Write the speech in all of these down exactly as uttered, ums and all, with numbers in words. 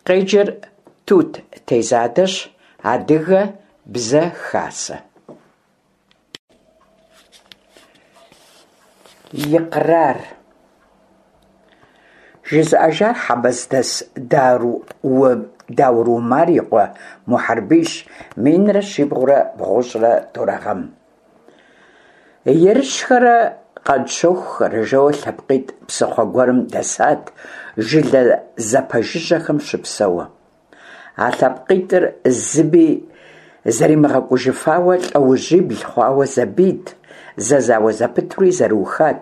Къеджэр Тут Тезадэщ, Адыгэ Бзэ Хасэ. Икърар. Жызыӏэжар Хьэбэздэс Даур Умар и къуэ Мухьэрбийщ, минрэ щибгъурэ бгъущӏрэ тӏурэ гъэм. Ерыщхэрэ Къанщохухэрэ жэуэ лъэпкъитӏ псыхъуэ гуэрым дэсат, жылэ зэпэжыжьэхэм щыпсэууэ. А лъэпкъитӏыр зыми зэримыгъэкӏужыфауэ лӏэужьибл хъуауэ зэбийт, зэзауэ зэпытури зэрыухат.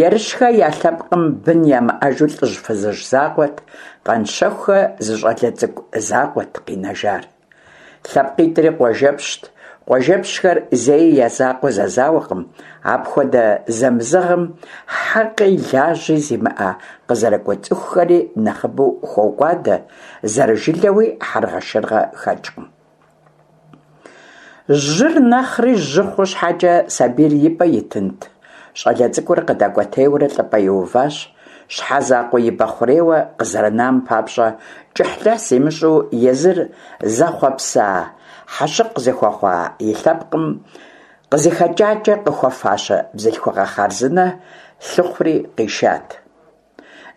Ерыщхэ я лъэпкъым бын ямыӏэжу лӏыжь-фызыжь закъуэт, Къанщохухэ зы щӏалэ цӏыкӏу закъуэт къинэжар. Лъэпкъитӏри къуажэпщт. Къуажэпщхэр зэи я закъуэ зэзауэкъым, апхуэдэ зэмызэгъым хьэкъи лажьи зимыӏэ къызэрыкӏуэ цӏыхухэри нэхъыбэу хокӏуадэ, зэрыжылэуи хьэргъэшыргъэ хэкӏкъым. Жьыр нэхъри жьы хъу щхьэкӏэ сабийр и пӏэ итынт? Щӏалэ цӏыкӏур къыдэкӏуэтейуэрэ лӏыпӏэ иуващ. Щхьэ закъуэ ибэ хъурейуэ къызэрынам папщӏэ кӏыхьлӏыхь зимыщӏу езыр зэхъуэпса, хьэщыкъ зыхуэхъуа и лъэпкъым къызыхэкӏакӏэ къыхуэфащэ бзылъхугъэ хъарзынэ лъыхъури къишат.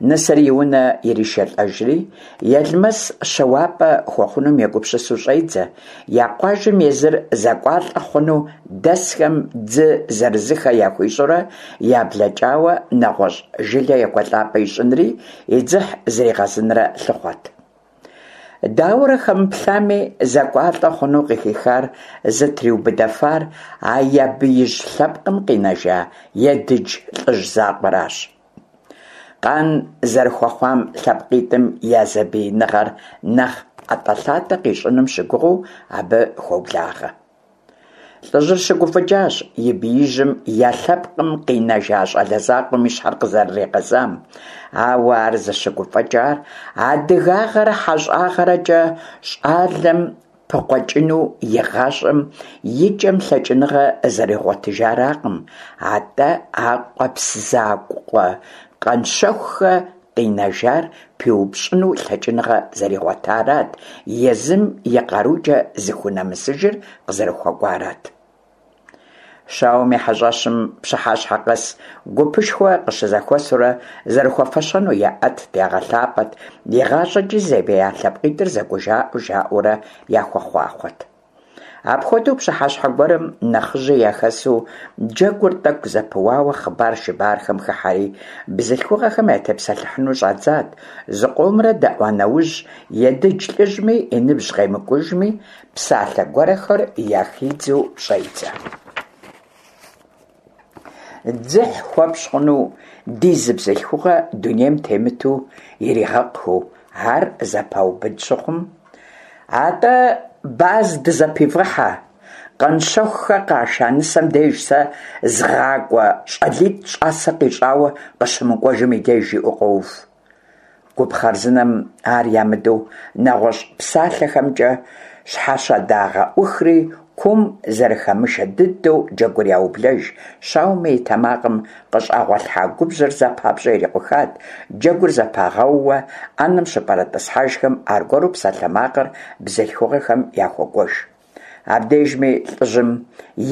Нысэр и унэ иришэлӏэжри, Елмэс щэуапӏэ хуэхъунум егупсысу щӏедзэ, я къуажэм езыр зэкӏуалӏэ хъуну дэсхэм дзы зырызыххэ яхуищӏурэ яблэкӏауэ нэгъуэщӏ жылэ екӏуэлӏапӏэ ищӏынри и дзыхь зригъэзынрэ лъыхъуэт. Дауэрэ хэмыплъами, зэкӏуалӏэ хъуну къыхихар зытриубыдэфар а я биижь лъэпкъым къинэжа Едыдж лӏыжь закъуэращ. Къан зэрыхуэхъуам лъэпкъитӏым я зэбииныгъэр нэхъ ӏэтӏэлъатӏэ къищӏыным щыгугъыу абы хуоблагъэ. Лӏыжьыр щыгуфӏыкӏащ и биижьым я лъэпкъым къинэжа щӏалэ закъуэм и щхьэр къызэрыригъэзам, ауэ ар зыщыгуфӏыкӏар адыгагъэрэ хьэщӏагъэрэкӏэ щӏалэм пыкъуэкӏыну и гъащӏэм и кӏэм лъэкӏыныгъэ зэригъуэтыжаракъым, атӏэ а къуэпс закъуэ Къанщохухэ къинэжар пиупщӏыну лъэкӏыныгъэ зэригъуэтарат, езым и къарукӏэ зыхунэмысыжыр къызэрыхуэкӏуарат. Щауэм и хьэщӏэщым пщыхьэщхьэ къэс гупышхуэ къыщызэхуэсурэ зэрыхуэфэщэну яӏэтт, ягъэлъапӏэт, игъащӏэкӏи зэбия лъэпкъитӏыр зэкӏужаӏэу жаӏэурэ яхуэхъуахъуэт. Апхуэдэу пщыхьэщхьэ гуэрым нэхъыжьи яхэсу джэгур тӏэкӏу зэпыуауэ хъыбар-шыбархэм хыхьэри, бзылъхугъэхэм ятепсэлъыхьыну щӏадзат. Зыкъомрэ дэӏуа нэужь, Едыдж лӏыжьми и ныбжь къемыкӏужми, псалъэ гуэрхэр яхидзэу щӏедзэ. Дзыхь хуэпщӏ хъуну ди зы бзылъхугъэ дунейм темыту иригъэкъхэу, ар зэпаубыд щыхъум, атӏэ баз дызэпивгъыхьэ, Къанщохухэ къаша нысэм деж сэ згъакӏуэ щӏалитӏ щӏасэ къищӏауэ къыщымыкӏуэжым и деж, жиӏэу къоув. Гуп хъарзынэм ар ямыдэу нэгъуэщӏ псалъэхэмкӏэ щхьэщэдагъэӏухри, кум зэрыхэмышэ дыдэу джэгур яублэж. Щауэми и тэмакъым къыщӏэгъуэлъхьа губжьыр зэ папщӏэ ирикъухат. Джэгур зэпагъэууэ ӏэнэм щыпэрытӏысхьэжхэм аргуэру псалъэмакъыр бзылъхугъэхэм яхуокӏуэж. Абдежми лӏыжьым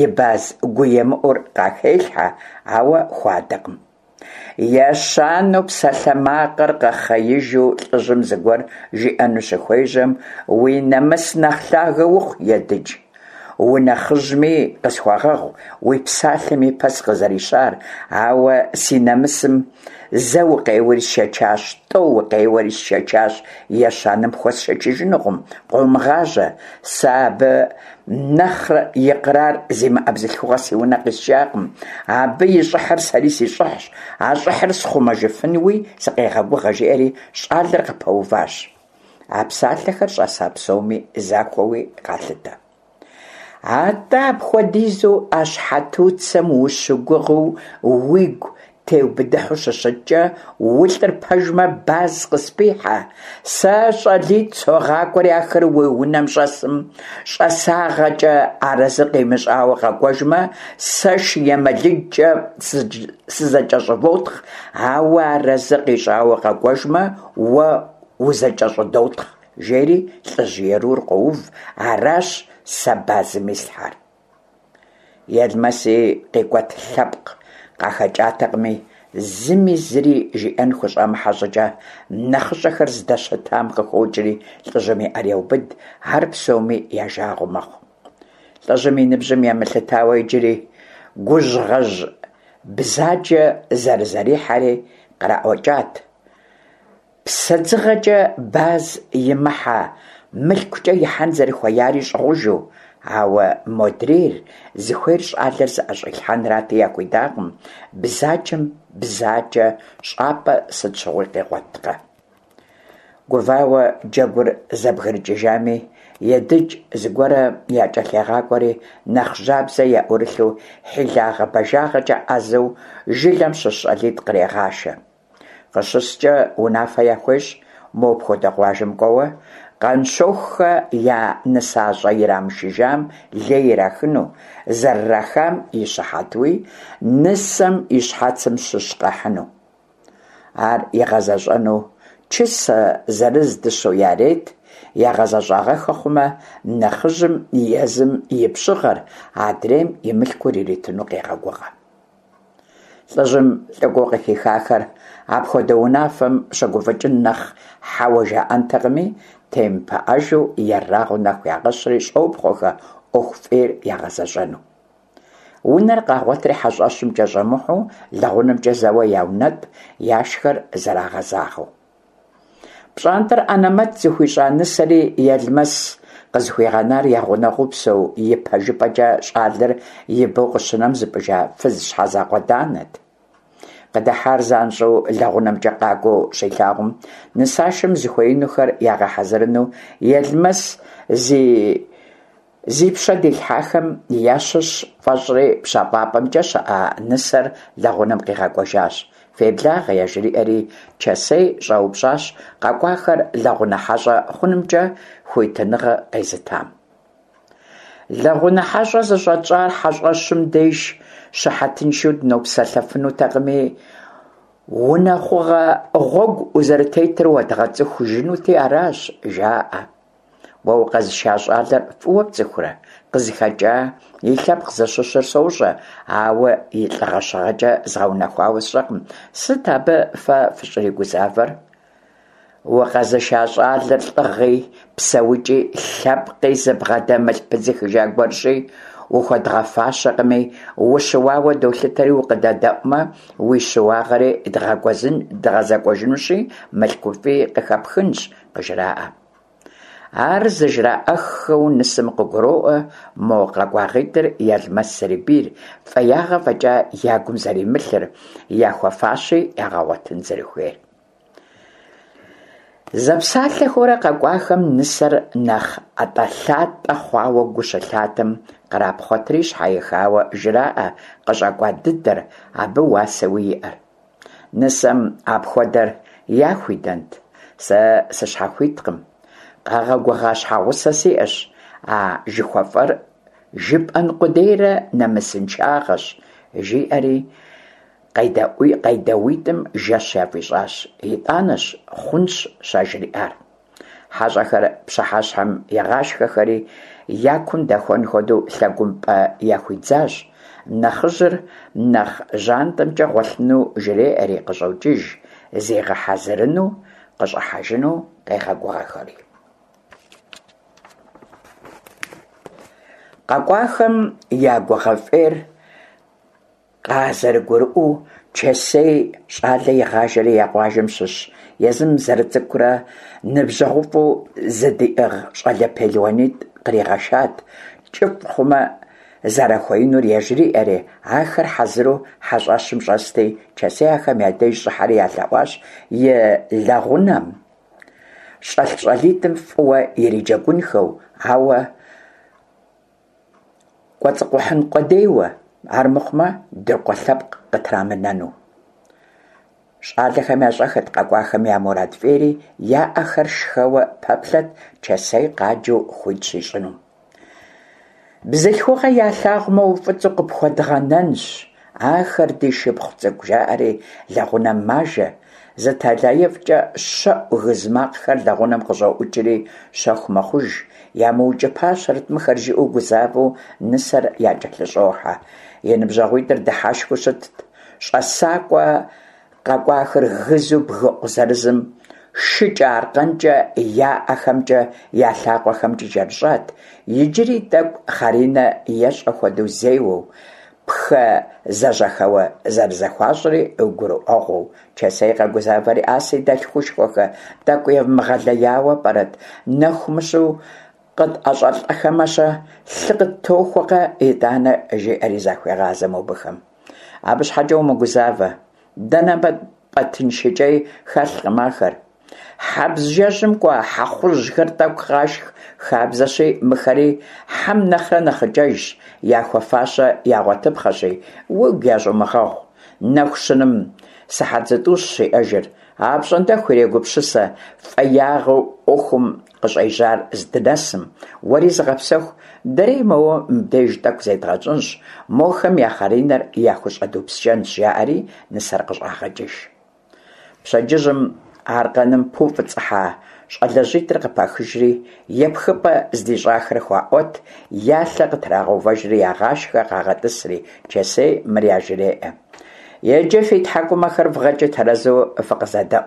и баз гуемыӏур къахелъхьэ, ауэ хуадэкъым. Ещанэу псалъэмакъыр къэхъеижу лӏыжьым зыгуэр жиӏэну щыхуежьэм, уи нэмыс нэхъ лъагэ ухъу, Едыдж. Унэхъыжьми къысхуэгъэгъу уи псалъэм и пэ сыкъызэрищар, ауэ си нэмысым зэ укъеуэри сшэчащ, тӏэу укъеуэри сшэчащ, ещанэм пхуэсшэчыжынукъым, къомыгъажьэ. Сэ абы нэхърэ икърар зимыӏэ бзылъхугъэ си унэ къисшакъым. Абы и щӏыхьыр сэри си щӏыхьщ, а щӏыхьыр схъумэжыфынуи сыкъегъэгугъэ, жиӏэри щӏалэр къыпэуващ. А псалъэхэр щӏэса псоми захуэуи къалъытэ. Атӏэ апхуэдизу а щхьэтуцэм ущыгугъыу уигу теубыдыхьу щыщыткӏэ, улӏыр пэжмэ, баз къыспихьэ. Сэ щӏалитӏ согъакӏуэри ахэр уи унэм щӏэсым щӏасагъэкӏэ арэзы къимыщӏауэ къэкӏуэжмэ, сэ шы емэлыджкӏэ сызэкӏэщӏывотхъ, ауэ арэзы къищӏауэ къэкӏуэжмэ, уэ узэкӏэщӏыдотхъ, жери лӀыжь ерур къоув, аращ сэ базым ислъхьэр. Елмэси къикӀуэт лъэпкъ къахэкӀатэкъыми, зыми зыри жиӀэн хущӀэмыхьэ щӀыкӀэ, нэхъыщӀэхэр здэщытам къыхокӀри лӀыжьым и Ӏэр еубыд, ар псоми я жагъуэ мэхъу. ЛӀыжьым и ныбжьым емылъытауэ иджыри гужьгъэжь бзаджэ зэрызэрихьэри къраӀуэкӀат, псэдзыгъэкӀэ баз имыхьа мылъкукӀэ ихьэн зэрыхуеяри щӀыгъужу, ауэ модрейр зыхуейр щӀалэр зыӀэщӀилъхьэнрати, яхуидакъым, бзаджэм бзаджэ щӀапӀэ сыт щыгъуи къегъуэткъэ. Гувауэ джэгур зэбгрыкӀыжами, Едыдж зыгуэр якӀэлъегъакӀуэри, нэхъ жьабзэ яӀурылъу, хьилагъэ-бажагъэкӀэ Ӏэзэу жылэм щыщ щӀалитӀ кърегъашэ. КъыщыскӀэ унафэ яхуещӀ мопхуэдэ къуажэм кӀуэуэ Къанщохъухэ я нысащӀэ ирамышыжам лей ирахыну, зэрырахам и щыхьэтуи нысэм и щхьэцым щыщ къахьыну. Ар игъэзэщӀэну чысэ зырыз дыщэу ярет, ягъэзэщӀагъэххэ хъумэ, нэхъыжьым езым и пщыгъэр, адрейм и мылъкур иритыну къегъэгугъэ. ЛӀыжьым лӀыкӀуэу къыхихахэр апхуэдэ унафэм щыгуфӀыкӀын нэхъ хьэуэ жаӀэнтэкъыми, темыпыӀэжу ерагъыу нэху ягъэщри щӀопхъуэхэ Ӏуэху фӀейр ягъэзэщӀэну. Унэр къагъуэтри хьэщӀэщымкӀэ щӀэмыхьэу, лэгъунэмкӀэ зэуэ яунэтӀ, яшхэр зэрагъэзагъэу. ПщӀантӀэр Ӏэнэмэт зыхуищӀа нысэри Елмэс къызыхуигъэнар я гъунэгъуу псэу, ипэжыпӀэкӀэ щӀалэр ибэу къыщынэм зыпӀыжа фыз щхьэзакъуэ Данэт. Къыдыхьар занщӀэу лэгъунэмкӀэ къакӀуэу щилъагъум, нысашэм зыхуеинухэр ягъэхьэзырыну Елмэс зи зи пщэ дилъхьахэм ящыщ фӀэщӀри, пщэфӀапӀэмкӀэ щыӀа нысэр лэгъунэм къигъэкӀуэжащ. «Феблагъэ», яжриӀэри, Чэсей щӀэупщӀащ къэкӀуахэр лэгъунэ хьэщӀэ хъунымкӀэ хуитыныгъэ къезытам. Лэгъунэ хьэщӀэ зыщӀэтщӀар хьэщӀэщым деж щыхьэтыншэу дынопсэлъэфынутэкъыми, унэхъугъэ гъуэгу узэрытетыр уэдгъэцӀыхужынути аращ, жаӀэ. Уэ укъэзыша щӀалэр фӀыуэ пцӀыхурэ? КъызыхэкӀа, и лъэпкъ зыщыщыр сощӀэ, ауэ и лӀыгъэ-щыгъэкӀэ згъэунэхуауэ сщӀэкъым. Сыт абы фэ фыщӀригузавэр? Укъэзыша щӀалэр лӀыгъи, псэукӀи, лъэпкъи зыбгъэдэмылъ пыдзыхыжа гуэрщи, ухуэдгъэфащэкъыми, ущыуауэ долъытэри, укъыдэдэӀумэ, уи щыуагъэри дгъэзэкӀуэжынущи, мылъкуфӀи къыхэпхынщ, къыжраӀэ. Ар зыжраӀэххэу нысэм къыгуроӀуэ мо къэкӀуагъитӀыр Елмэс зэрибийр, фӀеягъэ фӀэкӀа я гум зэримылъыр, яхуэфащи ягъэгъуэтын зэрыхуейр. Зэпсалъэхэурэ къэкӀуахэм нысэр нэхъ ӀэтӀэлъатӀэ хъуауэ гу щылъатэм, кърапхъуэтри щхьэихауэ жраӀэ къыщӀэкӀуа дыдэр, абы уасэуи иӀэр. Нысэм апхуэдэр яхуидэнт: «Сэ сыщхьэхуиткъым, къагъэгугъа щхьэгъусэ сиӀэщ, а жыхуэфӀэр жыпӀэн къудейрэ нэмысыншагъэщ», жиӀэри къедэӀуитӀым жэщ яфӀищӀащ, итӀанэщ «хъунщ» щажриӀар. ХьэщӀэхэр пщыхьэщхьэм игъашхэри, я кум дэхуэн хуэдэу лъэгум пӀэ яхуидзащ. Нэхъыжьыр нэхъ жьантӀэмкӀэ гъуэлъыну жреӀэри къыщӀокӀыж, зигъэхьэзырыну къыщӀыхьэжыну къегъэгугъэхэри. КъэкӀуахэм я гугъэ фӀейр къазэрыгурыӀуэу, Чэсей щӀалэ игъажэри я къуажэм щыщ, езым зэрыцӀыкӀурэ ныбжьэгъуфӀу зыдиӀыгъ щӀалэ пелуанитӀ къригъэшат, кӀыфӀ хъумэ зэрахуеинур яжриӀэри, ахэр хьэзыру хьэщӀэщым щӀэсти, Чэсей ахэм я деж щӀыхьэри ялъэӀуащ и лэгъунэм щӀэлъ щӀалитӀым фӀыуэ ириджэгунхэу, ауэ кӀуэцӀыкъухьын къудейуэ, армыхъумэ дыркъуэ лъэпкъ къытрамынэну. ЩӀалэхэм ящӀэххэт къэкӀуахэм я мурад фӀейри, я Ӏэхэр шхэуэ пэплъэт Чэсей къаджэу хуит щищӀынум. Бзылъхугъэ ялъагъумэ, уфӀыцӀу къыпхуэдгъэнэнщ, ахэр ди шыпхъу цӀыкӀу, жаӀэри лэгъунэм мажэ, Зы тэлаифӀкӀэ щэӀу гыз макъхэр лэгъунэм къыщӀоӀукӀри щэху мэхъуж. ЯмыукӀыпащэрэт мыхэр, жиӀэу гузавэу нысэр якӀэлъыщӀохьэ. И ныбжьэгъуитӀыр дыхьэшхыу щытт. ЩӀэсакӀуэ къэкӀуахэр гызу бгыкъу зырызым шыкӀэ аркъэнкӀэ я ӀэхэмкӀи я лъакъуэхэмкӀи кӀэрыщӀат, иджыри тӀэкӀу хъыринэ ещӀэ хуэдэу зеуэу, пхэ зэжьэхэуэ зэрызэхуащӀри гурыӀуэгъуэу. Чэсей къэгузавэри: «А си дэлъхушхуэхэ, тӀэкӀу евмыгъэлеяуэ пӀэрэт, нэху мыщу къытӀэщӀэлӀэхэмэ-щэ, лъы къыттохуэкъэ итӀанэ», жеӀэри захуегъазэ мобыхэм. Абы щхьэкӀэ умыгузавэ, дэ нобэ тпӀэтын шыкӀей хэлъкъым ахэр. Хьэбз жэщым кӀуа хьэхъужьхэр тӀэкӀу къашх хабзэщи, мыхэри хьэм нэхърэ нэхъыкӀэжщ, яхуэфащэ ягъуэтыпхъэщи, уигу ящӀумыгъэгъу. Нэху щыным сыхьэт зытӀущщ иӀэжыр, апщӀондэху ирегупсысэ фӀеягъэу Ӏуэхум къыщӀежьар здынэсым, уэри зыгъэпсэху, дэри моуэ мыбдеж тӀэкӀу зедгъэнщӀынщ, мохэм я хъыринэр яхущӀэдупскӀэнщ, жаӀэри нысэр къыщӀагъэкӀыж. Пщэдджыжьым аркъэным пуфӀыцӀыхьа щӀалэжьитӀыр къыпахыжри, епхыпӀэ здищӀахэр хуаӀуэт, я лъэ къытрагъэувэжри ягъашхэ, къагъэтӀысри, Чэсей мыр яжреӀэ: «Иджы фи тхьэкӀумэхэр вгъэкӀи тэрэзу фыкъызэдэӀу.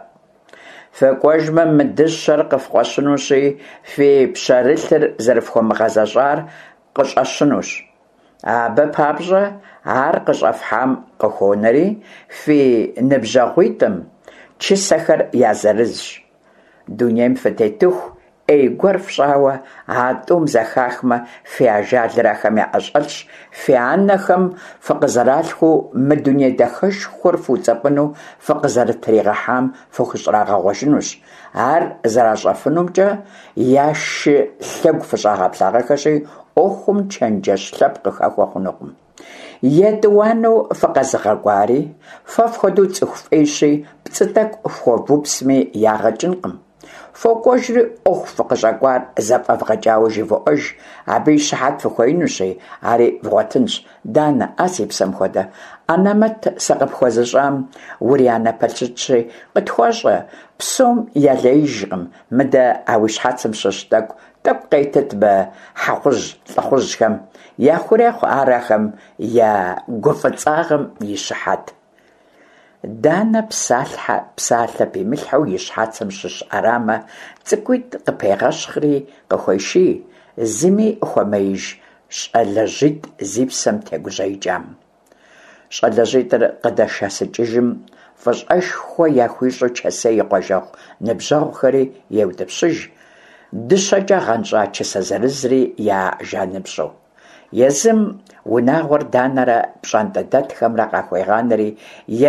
ФыкӀуэжмэ, мы дыщэр къыфкъуэщынущи, фи пщэрылъыр зэрыфхуэмыгъэзэщӀар къыщӀэщынущ. Абы папщӀэ ар къыщӀэфхьам къыхуонэри, фи ныбжьэгъуитӀым чысэхэр я зырызщ. Дунейм фытетыху Ӏей гуэр фщӀауэ а тӀум зэхахмэ, фи ажалыр ахэм яӀэщӀэлъщ, фи анэхэм фыкъызэралъхуу мы дуней дахэшхуэр фуцӀэпӀыну фыкъызэрытригъэхьам фыхущӀрагъэгъуэжынущ. Ар зэращӀэфынумкӀэ я шы лъэгу фыщӀагъэплъагъэххэщи, Ӏуэхум чэнджэщ лъэпкъ къыхэхуэ хъунукъым. ЕтӀуанэу фыкъэзыгъэкӀуари фэ фхуэдэу цӀыху фӀейщи, пцӀы тӀэкӀу фхуэвупсми, ягъэ кӀынкъым. ФокӀуэжри, Ӏуэху фыкъыщӀэкӀуар зэфӀэвгъэкӀауэ живоӀэж, абы и щыхьэт фыхуеинущи, ари вгъуэтынщ. Данэ, а си псэм хуэдэ, анэмэт сыкъыпхуэзыщӀам урианэ пэлъытэщи, къытхуэщӀэ, псом ялеижкъым, мыдэ а уи щхьэцым щыщ тӀэкӀу тӀэкӀу къетыт мы хьэхъужь лӀыхъужьхэм, яхурехъу ар ахэм я гуфӀыцӀагъэм и щыхьэт». Данэ псалъхьэ псалъэ пимылъхьэу и щхьэцым щыщ Ӏэрамэ цӀыкӀуитӀ къыпегъэщхъри къыхуеший, зыми хуэмеиж щӀалэжьитӀ зи псэм тегужьеикӀам. ЩӀалэжьитӀыр къыдэшэсыкӀыжым, фӀыщӀэшхуэ яхуищӀу Чэсей и къуажэгъу ныбжьэгъухэри еутӀыпщыж, дыщэкӀэ гъэнщӀа чысэ зырызри я жаныпщӀэу. Езым унагъуэр Данэрэ пщӀантӀэдэтхэмрэ къахуегъанэри,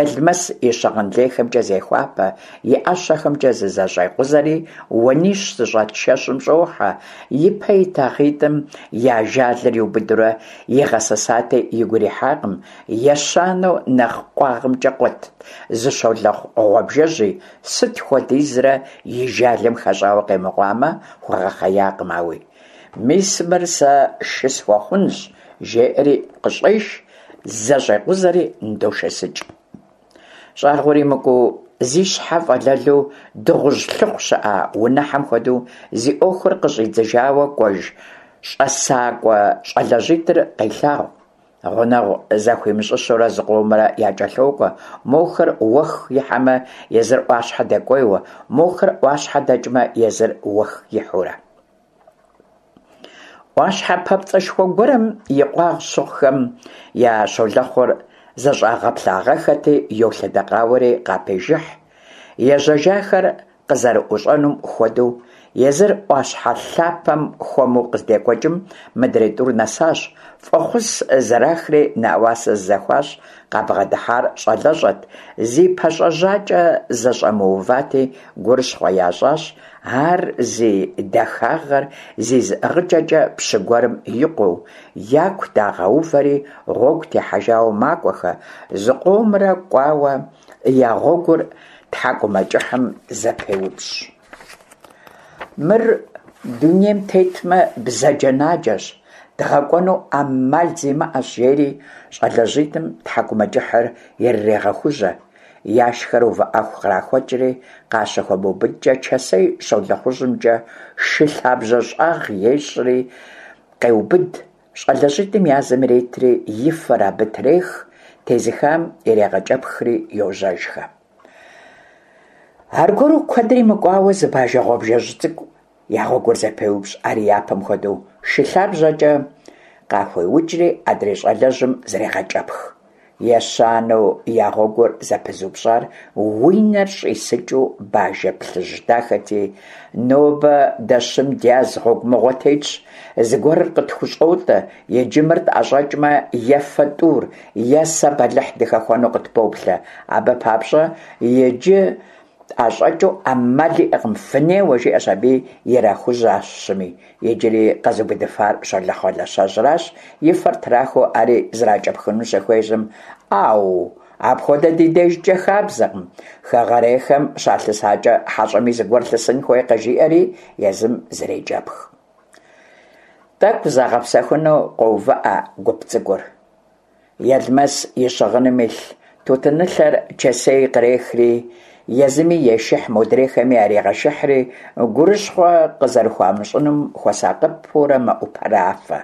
Елмэс и щыгъын лейхэмкӀэ зехуапэ, и ӀэщэхэмкӀэ зызэщӀекъузэри, уанищ зыщӀэт шэщым щӀохьэ, ипэ итагъитӀым я ажалыр иубыдурэ игъэсысати, игу ирихьакъым, ещанэу нэхъ къуагъымкӀэ къуэт зы щолэхъу гъуабжэжьи, сыт хуэдизрэ и жалым хэщӀауэ къемыкъуамэ, хуэгъэхъеякъым ауи. «Мис мыр сэ шы схуэхъунщ», жеӀэри къыщӀеш, зэщӀекъузэри ныдошэсыкӀ. ЩӀагъуэр имыкӀуу, зи щхьэ фӀэлэлу дыгъужь лъыхъу щыӀэ унэхьэм хуэдэу зи Ӏуэхур къыщӀидзыжауэ кӀуэж щӀэсакӀуэ щӀалэжьитӀыр къелъагъу. Гъунэгъу захуимыщӀыщэурэ зыкъомрэ якӀэлъокӀуэ, мохэр уэх ихьэмэ, езыр Ӏуащхьэ дэкӀуейуэ, мохэр Ӏуащхьэ дэкӀмэ, езыр уэх ихьэурэ. Ӏуащхьэ папцӀэшхуэ гуэрым и къуагъ щыхъухэм я щолэхъур зэщӀагъэплъагъэххэти, йолъэдэкъауэри къапежыхь, ежьэжахэр къызэрыӀущӀэнум хуэдэу. Езыр Ӏуащхьэ лъапэм хуэму къыздекӀуэкӀым, мыдрей тӀур нэсащ, фӀэхъус зэрахри нэӀуасэ зызэхуащӀ. Къабгъэдыхьар щӀалэщӀэт, зи пащӀэ-жьакӀэ зэщӀэмыувати, гурыщхъуэ ящӀащ ар зи дахагъэр, зи зыӀыгъыкӀэкӀэ пщы гуэрым и къуэу, яку дагъэувэри, гъуэгу техьэжауэ макӀуэхэ. Зыкъомрэ кӀуауэ, я гъуэгур тхьэкӀумэкӀыхьым зэпеупщӀ. «Мыр дунейм тетмэ, бзаджэнаджэщ, дгъэкӀуэну Ӏэмал зимыӀэщ», – жери щӀалэжьитӀым тхьэкӀумэкӀыхьыр ирырегъэхужьэ. Яшхэр увыӀэху кърахуэкӀри, къащыхуэмыубыдкӀэ, Чэсей щолэхъужьымкӀэ шы лъабжьэ щӀагъ ещӀри къеубыд, щӀалэжьитӀым язым иретри и фэр абы трех, тезыхам ирегъэкӀэпхри йожьэжхэ. Аргуэру куэдрэ мыкӀуауэ, зы бажэ гъуабжэжь цӀыкӀу я гъуэгур зэпеупщӀ, ари япэм хуэдэу шы лъабжьэкӀэ къахуеукӀри адрей щӀалэжьым зрегъэкӀэпх. Ещанэу я гъуэгур зэпызупщӀар уи нэр щӀисыкӀыу бажэ плъыжь дахэти, нобэ дэ щым дяз гъуэгу мыгъуэ тетщ, зыгуэрыр къытхущӀотӀэ, иджы мыр тӀэщӀэкӀмэ, е фэ тӀур, е сэ бэлыхь дыхэхуэну къытпоплъэ. Абы папщӀэ иджы тӀэщӀэкӀыу Ӏэмал иӀэкъым, фынеуэ, жиӀэщ аби, ирахужьащ щыми. Иджыри къэзубыдыфар щолэхъу алащэжьращ, и фэр трахыу ари зракӀэпхыну щыхуежьэм, Ӏэу, апхуэдэ ди дежкӀэ хабзэкъым, хэгъэрейхэм щалъысакӀэ хьэщӀэми зыгуэр лъысын хуейкъэ, жиӀэри езым зрекӀэпх. ТӀэкӀу загъэпсэхуну къоувыӀэ гуп цӀыкӀур. Елмэс и щыгъыным илъ тутынылъэр Чэсей кърехри, езыми ешыхь, модрейхэми ярегъэшыхьри, гурыщхъуэ къызэрыхуамыщӀынум хуэсакъыпэурэ мэӀупэрафэ.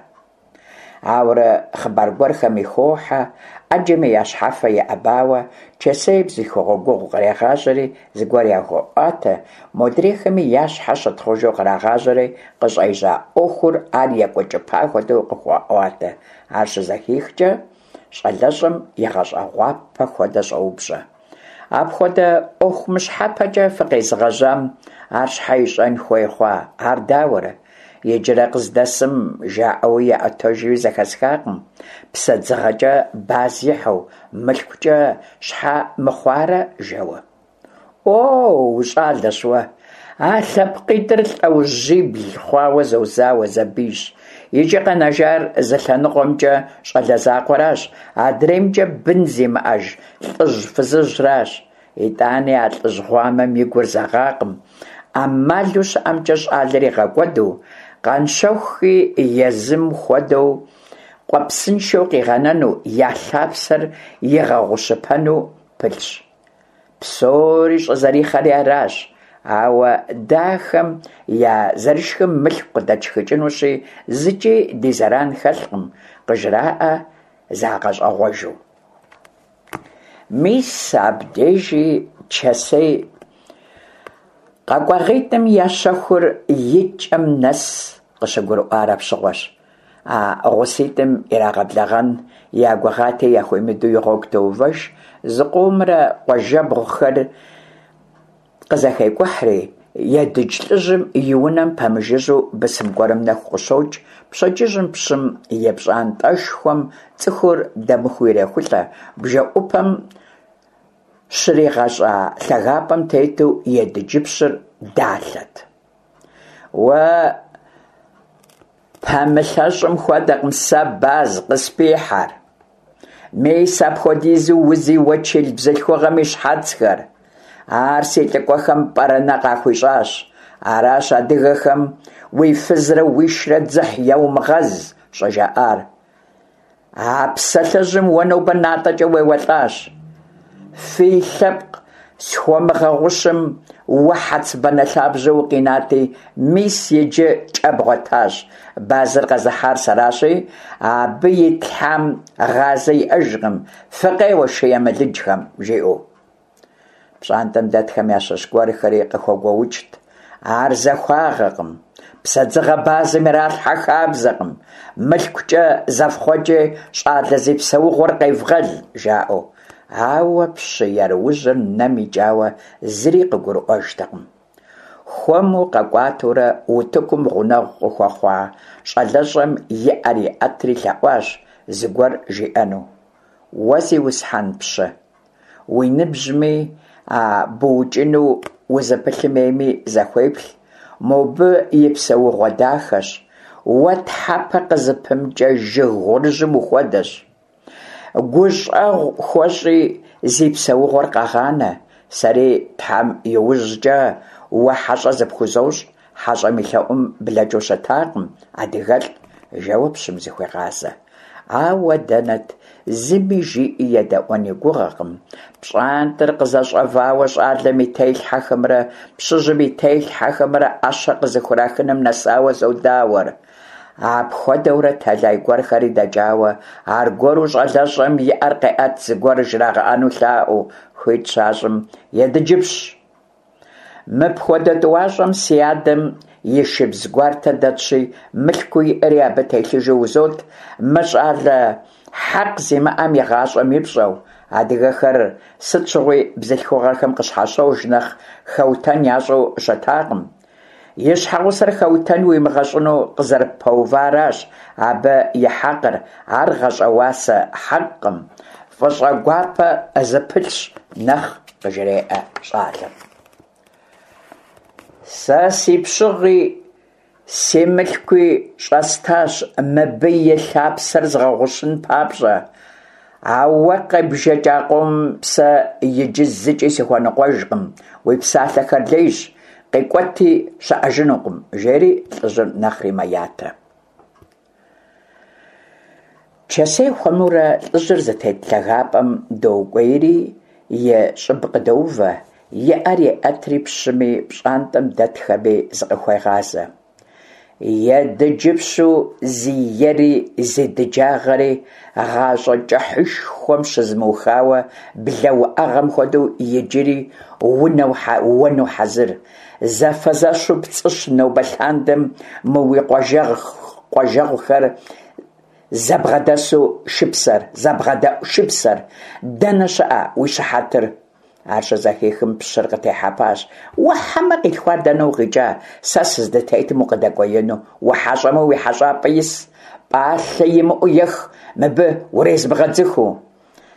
Ауэрэ хъыбар гуэрхэми хохьэ, Ӏэджэми я щхьэфэ иӀэбауэ, Чэсей бзылъхугъэ гугъу кърегъажьэри зыгуэр яхуеӀуатэ, модрейхэми я щхьэ щытхъужу кърагъажьэри, къыщӀежьа Ӏуэхур ар екӀуэкӀыпа хуэдэу къыхуаӀуатэ. Ар щызэхихкӀэ, щӀалэщӀэм игъэщӀэгъуапэ хуэдэ щӀоупщӀэ: Апхуэдэ Ӏуэху мыщхьэпэкӀэ фыкъезыгъэжьам ар щхьэ ищӀэн хуей хъуа, ар дауэрэ? Иджырэ къыздэсым жаӀэуи яӀуэтэжуи зэхэсхакъым, псэдзыгъэкӀэ баз ихьу, мылъкукӀэ щхьэ мыхъуарэ, жэуэ. О, ущӀалэщ уэ! А лъэпкъитӀыр лӀэужьибл хъуауэ зозауэ, зэбийщ. Иджы къэнэжар зы лъэныкъуэмкӀэ щӀалэ закъуэращ, адреймкӀэ бын зимыӀэж лӀыжь-фызыжьращ. ИтӀани а лӀыжь гъуамэм и гур зэгъакъым, Ӏэмалу щыӀэмкӀэ щӀалэр игъэкӀуэду, Къанщэхухи езым хуэдэу къуэпсыншэу къигъэнэну, я лъапсэр игъэгъущыпэну пылъщ. Псори щӀызэрихъэри аращ. Ауэ дэ ахэм я зэрышхым мылъку къыдэтшхыкӀынущи, зыкӀи ди зэран хэлъкъым, къыжраӀэ загъэщӀэгъуэжу. Мис абдежи Чэсей къэкӀуагъитӀым я щэхур и кӀэм нэс къыщыгурыӀуар апщыгъуэщ. А гъуситӀым ирагъэблэгъэн я гугъати, яхуимыдэу и гъуэгу тоувэж. Зыкъомрэ къуажэбгъухэр къызэхекӀухьри, Едыдж лӀыжьым и унэм пэмыжыжьэу бысым гуэрым нэху къыщокӀ. Пщэдджыжьым пщым и пщӀантӀэшхуэм цӀыхур дэмыхуу ирехулӀэ. БжэӀупэм щригъэщӀа лъагапӀэм тету Едыджыпщыр далъэт. Уэ пэмылъэщым хуэдэкъым сэ баз къыспихьэр. Мис апхуэдизу узи уэчыл бзылъхугъэм и щхьэцхэр. Ар си лӀыкӀуэхэм пӀэрэнэ къахуищӀащ. Аращ адыгэхэм уи фызрэ уишрэ дзыхь еумыгъэз щӀыжаӀар. А псалъэжьым уэ нобэ натӀэкӀэ уеуэлӀащ. Фи лъэпкъ схуэмыгъэгъущым уэ хьэцыбанэ лъабжьэу укъинати, мис иджы кӀэ бгъуэтащ. Базыр къэзыхьар сэращи, абы итлъхьам гъазэ иӀэжкъым, фыкъеуэ шы емылыджхэм, жиӀэу. ПщӀантӀэм дэтхэм ящыщ гуэрхэри къыхэгуоукӀт: Ар захуагъэкъым, псэдзыгъэ базым иралъхьэ хабзэкъым, мылъкукӀэ зэфхъуэкӀи щӀалэ зи псэугъуэр къевгъэл, жаӀэу. Ауэ пщы еруужьыр нэм икӀауэ зыри къыгурыӀуэжтэкъым. Хуэму къэкӀуатэурэ утыкум гъунэгъу къыхуэхъуа щӀалэщӀэм и Ӏэр иӀэтри лъэӀуащ зыгуэр жиӀэну. Уэ, зиусхьэн пщы, уи ныбжьми а быукӀыну узыпылъым ейми зэхуеплъ, мобы и псэугъуэ дахэщ, уэ тхьэпэ къызыпымыкӀэ жыг гъурыжьым ухуэдэщ. ГущӀэгъу хуэщӀи, зи псэугъуэр къэгъанэ, сэри Тхьэм и ужькӀэ уэ хьэщӀэ зыпхузощӀ, хьэщӀэм и лъэӀум блэкӀыу щытакъым адыгэлӀ, жэуэ пщым зыхуегъазэ. Ауэ дэнэт, зыми жиӀи едэӀуэн и гугъэкъым. ПщӀантӀэр къызэщӀэвауэ щӀалэм и телъхьэхэмрэ пщыжьым и телъхьэхэмрэ Ӏэщэ къызыхурахыным нэсауэ зодауэр. Апхуэдэурэ тэлай гуэрхэри дэкӀауэ, аргуэру щӀалэщӀэм и Ӏэр къеӀэт зыгуэр жрагъэӀэну лъаӀуэу. Хуит щащӀым: «Едыджыпщ, мыпхуэдэ тӀуащӀэм си адэм и шыбз гуартэ дэтщи, мылъкуу иӀэри абы телъыжу узот, мы щӀалэ хьэкъ зимыӀэм и гъащӀэм и пщӀэу». Адыгэхэр сыт щыгъуи бзылъхугъэхэм къыщхьэщож нэхъ хэутэн ящӀу щытакъым. И щхьэгъусэр хэутэн уимыгъэщӀыну къызэрыппэуваращ абы и хьэкъыр, ар гъащӀэуасэ хьэкъкъым, фӀыщӀэ гуапэ зыпылъщ нэхъ, къыжреӀэ щӀалэм. Сэ си пщыгъи си мылъкуи щӀэстащ мыбы и лъапсэр згъэгъущын папщӀэ. А уэ къебжэкӀа къомым сэ иджы зыкӀи сыхуэныкъуэжкъым, уи псалъэхэр лейщ, къикӀуэти щыӀэжынукъым, жери лӀыжьыр нэхъри мэятэ. Чэсей хуэмурэ лӀыжьыр зытет лъагапӀэм докӀуейри и щӀыб къыдоувэ, и Ӏэр еӀэтри пщыми пщӀантӀэм дэтхэми зыкъыхуегъазэ. Едыджыпщу зи ери зи дыджагъэри гъащӀэ кӀыхьышхуэм щызмыухауэ блэ уӀэгъэм хуэдэу иджыри уэну хьэзыр. Зэфэзэщу пцӀыщ нобэ лъандэм мы уи къуажэгъухэр зэбгъэдэсу шыпсэр, зэбгъэдэӀу шыпсэр. Дэнэ щыӀэ уи щыхьэтыр? Ар щызэхихым, пщыр къытехьэпащ. Уэ хьэмэ къилъхуар дэнэ укъикӀа, сэ сыздытетым укъыдэкӀуеину? УхьэщӀэмэ, уи хьэщӀапӀэ ис, пӀалъэ имыӀэу ех, мыбы урезмыгъэдзыхыу.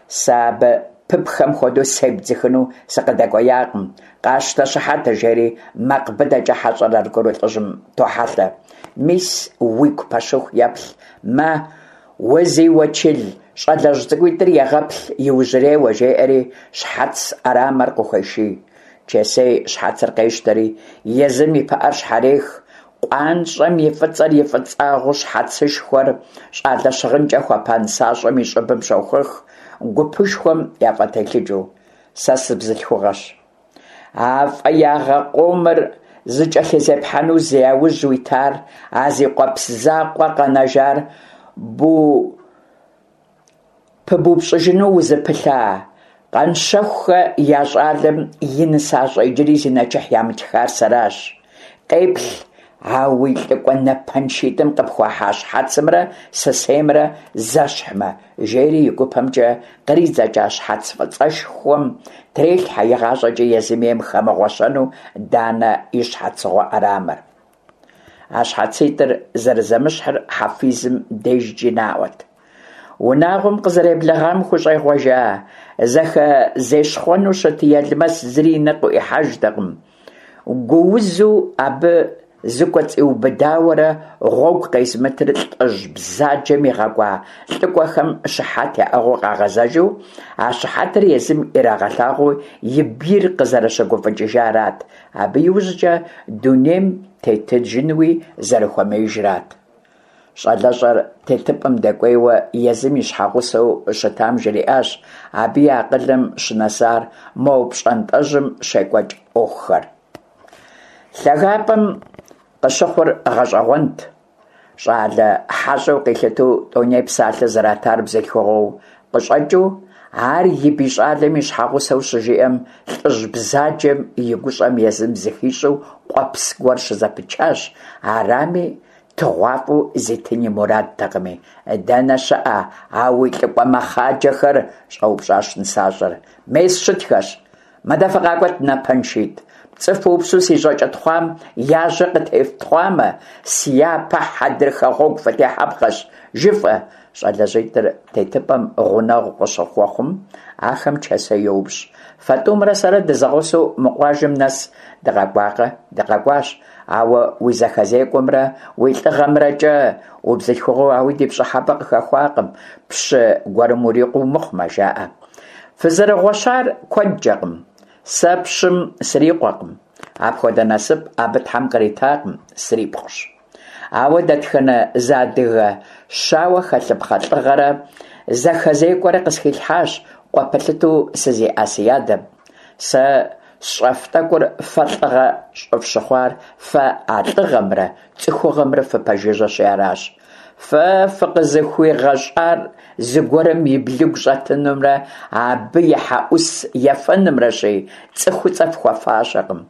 Сэ абы пыпхэм хуэдэу себдзыхыну сыкъыдэкӀуеякъым. Къащтэ щыхьэтыр, жери макъ быдэкӀэ хьэщӀэр аргуэру лӀыжьым тохьэлъэ. Мис уигу пэщыху еплъ, мэ, узиуэчыл щӀалэжь цӀыкӀуитӀыр егъэплъ иужьрейуэ, жеӀэри щхьэц Ӏэрамэр къыхуеший. Чэсей щхьэцыр къещтэри, езым и пыӀэр щхьэрех. КъуанщӀэм и фӀыцӀэр и фӀыцӀагъэу щхьэцышхуэр щӀалэ щыгъынкӀэ хуэпа нысащӀэм и щӀыбым щохуэх, гупышхуэм яфӀэтелъыджэу. Сэ сыбзылъхугъэщ. А фӀеягъэ къомыр зыкӀэлъызепхьэну зи яужь уитар, а зи къуэпс закъуэ къэнэжар пыбупщӀыжыну узыпылъа Къанщэхухэ я щӀалэм и нысащӀэ иджыри зи нэчыхь ямытхар сэращ. Къеплъ а уи лӀыкӀуэ напэншитӀым къыпхуахьа щхьэцымрэ сысеймрэ зэщхьмэ, жери и гупэмкӀэ къридзэкӀа щхьэц фӀыцӀэшхуэм трелъхьэ игъащӀэкӀи езым ейм хэмыгъуэщэну Данэ и щхьэцыгъуэ Ӏэрамэр. А щхьэцитӀыр зэрызэмыщхьыр хьэфизым дежкӀи наӀуэт. Унагъуэм къызэреблэгъам хущӀегъуэжа, зэхэзещхъуэну щыт Елмэс зыри и нэ къыӀуихьэжтэкъым. Гуузу абы зыкӀуэцӀиубыдауэрэ гъуэгу къезымытыр лӀыжь бзаджэм игъэкӀуа лӀыкӀуэхэм щыхьэт яӀыгъыу къагъэзэжу, а щыхьэтыр езым ирагъэлъагъуу и бийр къызэрыщыгуфӀыкӀыжарат, абы иужькӀэ дунейм тетыжынуи зэрыхуэмеижрат. ЩӀалэщӀэр тетыпӀэм дэкӀуейуэ езым и щхьэгъусэу щытам жриӀащ абы и акъылым щынэсар мо пщӀантӀэжьым щекӀуэкӀ Ӏуэхухэр. ЛъагапӀэм къыщыхъур гъэщӀэгъуэнт. ЩӀалэ хьэщӀэу къилъытэу тӀэуней псалъэ зратар бзылъхугъэу къыщӀэкӀыу, ар и бий щӀалэм и щхьэгъусэу щыжиӀэм, лӀыжь бзаджэм и гущӀэм езым зыхищӀэу къуэпс гуэр щызэпычащ, арами тыгъуафӀэу зитын и мурадтэкъыми. «Дэнэ щыӀэ а уи лӀыкӀуэ мэхъаджэхэр?» щӀэупщӀащ нысащӀэр. «Мес щытхэщ. Мыдэ фыкъакӀуэт, напэншитӀ. ПцӀы фыупсу си жьакӀэ тхъуам я жьэ къытефтхъуамэ, си япэ хьэдрыхэ гъуэгу фытехьэпхъэщ, жыфӀэ». ЩӀалэжьитӀыр тетыпӀэм гъунэгъу къыщыхуэхъум, ахэм Чэсей йоупщӀ: «Фэ тӀумрэ сэрэ дызэгъусэу мы къуажэм нэс дыкъэкӀуакъэ?» «ДыкъэкӀуащ, ауэ уи зэхэзекӀуэмрэ уи лӀыгъэмрэкӀэ убзылъхугъэу ауи ди пщӀыхьэпӀэ къыхэхуакъым, пщы гуэрым урикъуэу мыхъумэ», жаӀэ. «Фызэрыгъуэщар куэдкӀэкъым. Сэ пщым срикъуэкъым. Апхуэдэ насып абы Тхьэм къритакъым, срипхъущ. Ауэ дэтхэнэ зы адыгэ щауэ хэлъыпхъэ лӏыгъэрэ зэхэзекӏуэрэ къысхилъхьащ къуэ пэлъытэу сызиӏа си адэм. Сэ сщӏэф тӏэкӏур фэ лӏыгъэ щӏыфщыхъуар фэ а лӏыгъэмрэ цӏыхугъэмрэ фыпэжыжьэщи аращ. Фэ фыкъызыхуигъэщӏар зыгуэрым и блыгу щӏэтынымрэ абы и хьэӏус ефэнымрэщи, цӏыхуцӏэ фхуэфащэкъым.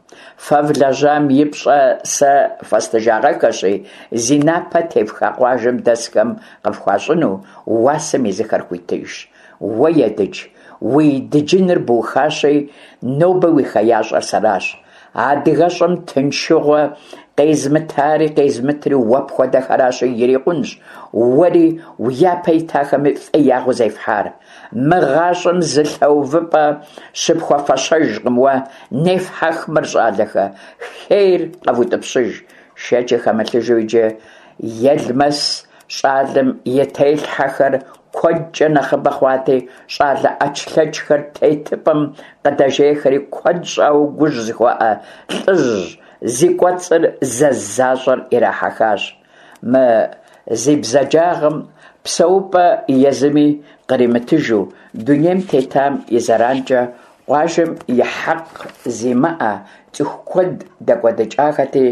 Фэ влэжьам и пщӏэ сэ фэстыжагъэххэщи, зи напэ тефха къуажэм дэсхэм къыфхуащӏыну уасэм езыхэр хуитыжщ. Уэ, Едыдж, уи дыджыныр бухащи, нобэ уи хеящӏэр сэращ. Адыгэщӏым тыншыгъуэ къезмытари къезмытри уэ пхуэдэхэращи, ирикъунщ уэри уи япэ итахэми фӏеягъэу зефхьар. Мы гъащӏэм зы лъэувыпӏэ щыпхуэфэщэжкъым уэ, нефхьэх мыр, щӏалэхэ, хейр къэвутӏыпщыж. Шэчи хэмылъыжу иджы Елмэс щӏалэм и телъхьэхэр куэдкӏэ нэхъыбэ хъуати, щӏалэ ӏэчлъэчхэр тетыпӏэм къыдэжейхэри куэд щӏауэ гужь зыхуаӏэ лӏыжь зи кӏуэцӏыр зэз защӏэр ирахьэхащ. Мы зи бзаджагъэм псэупӏэ езыми къримытыжу дунейм тетам и зэранкӏэ къуажэм и хьэкъ зимыӏэ цӏыху куэд дэкӏуэдыкӏахэти,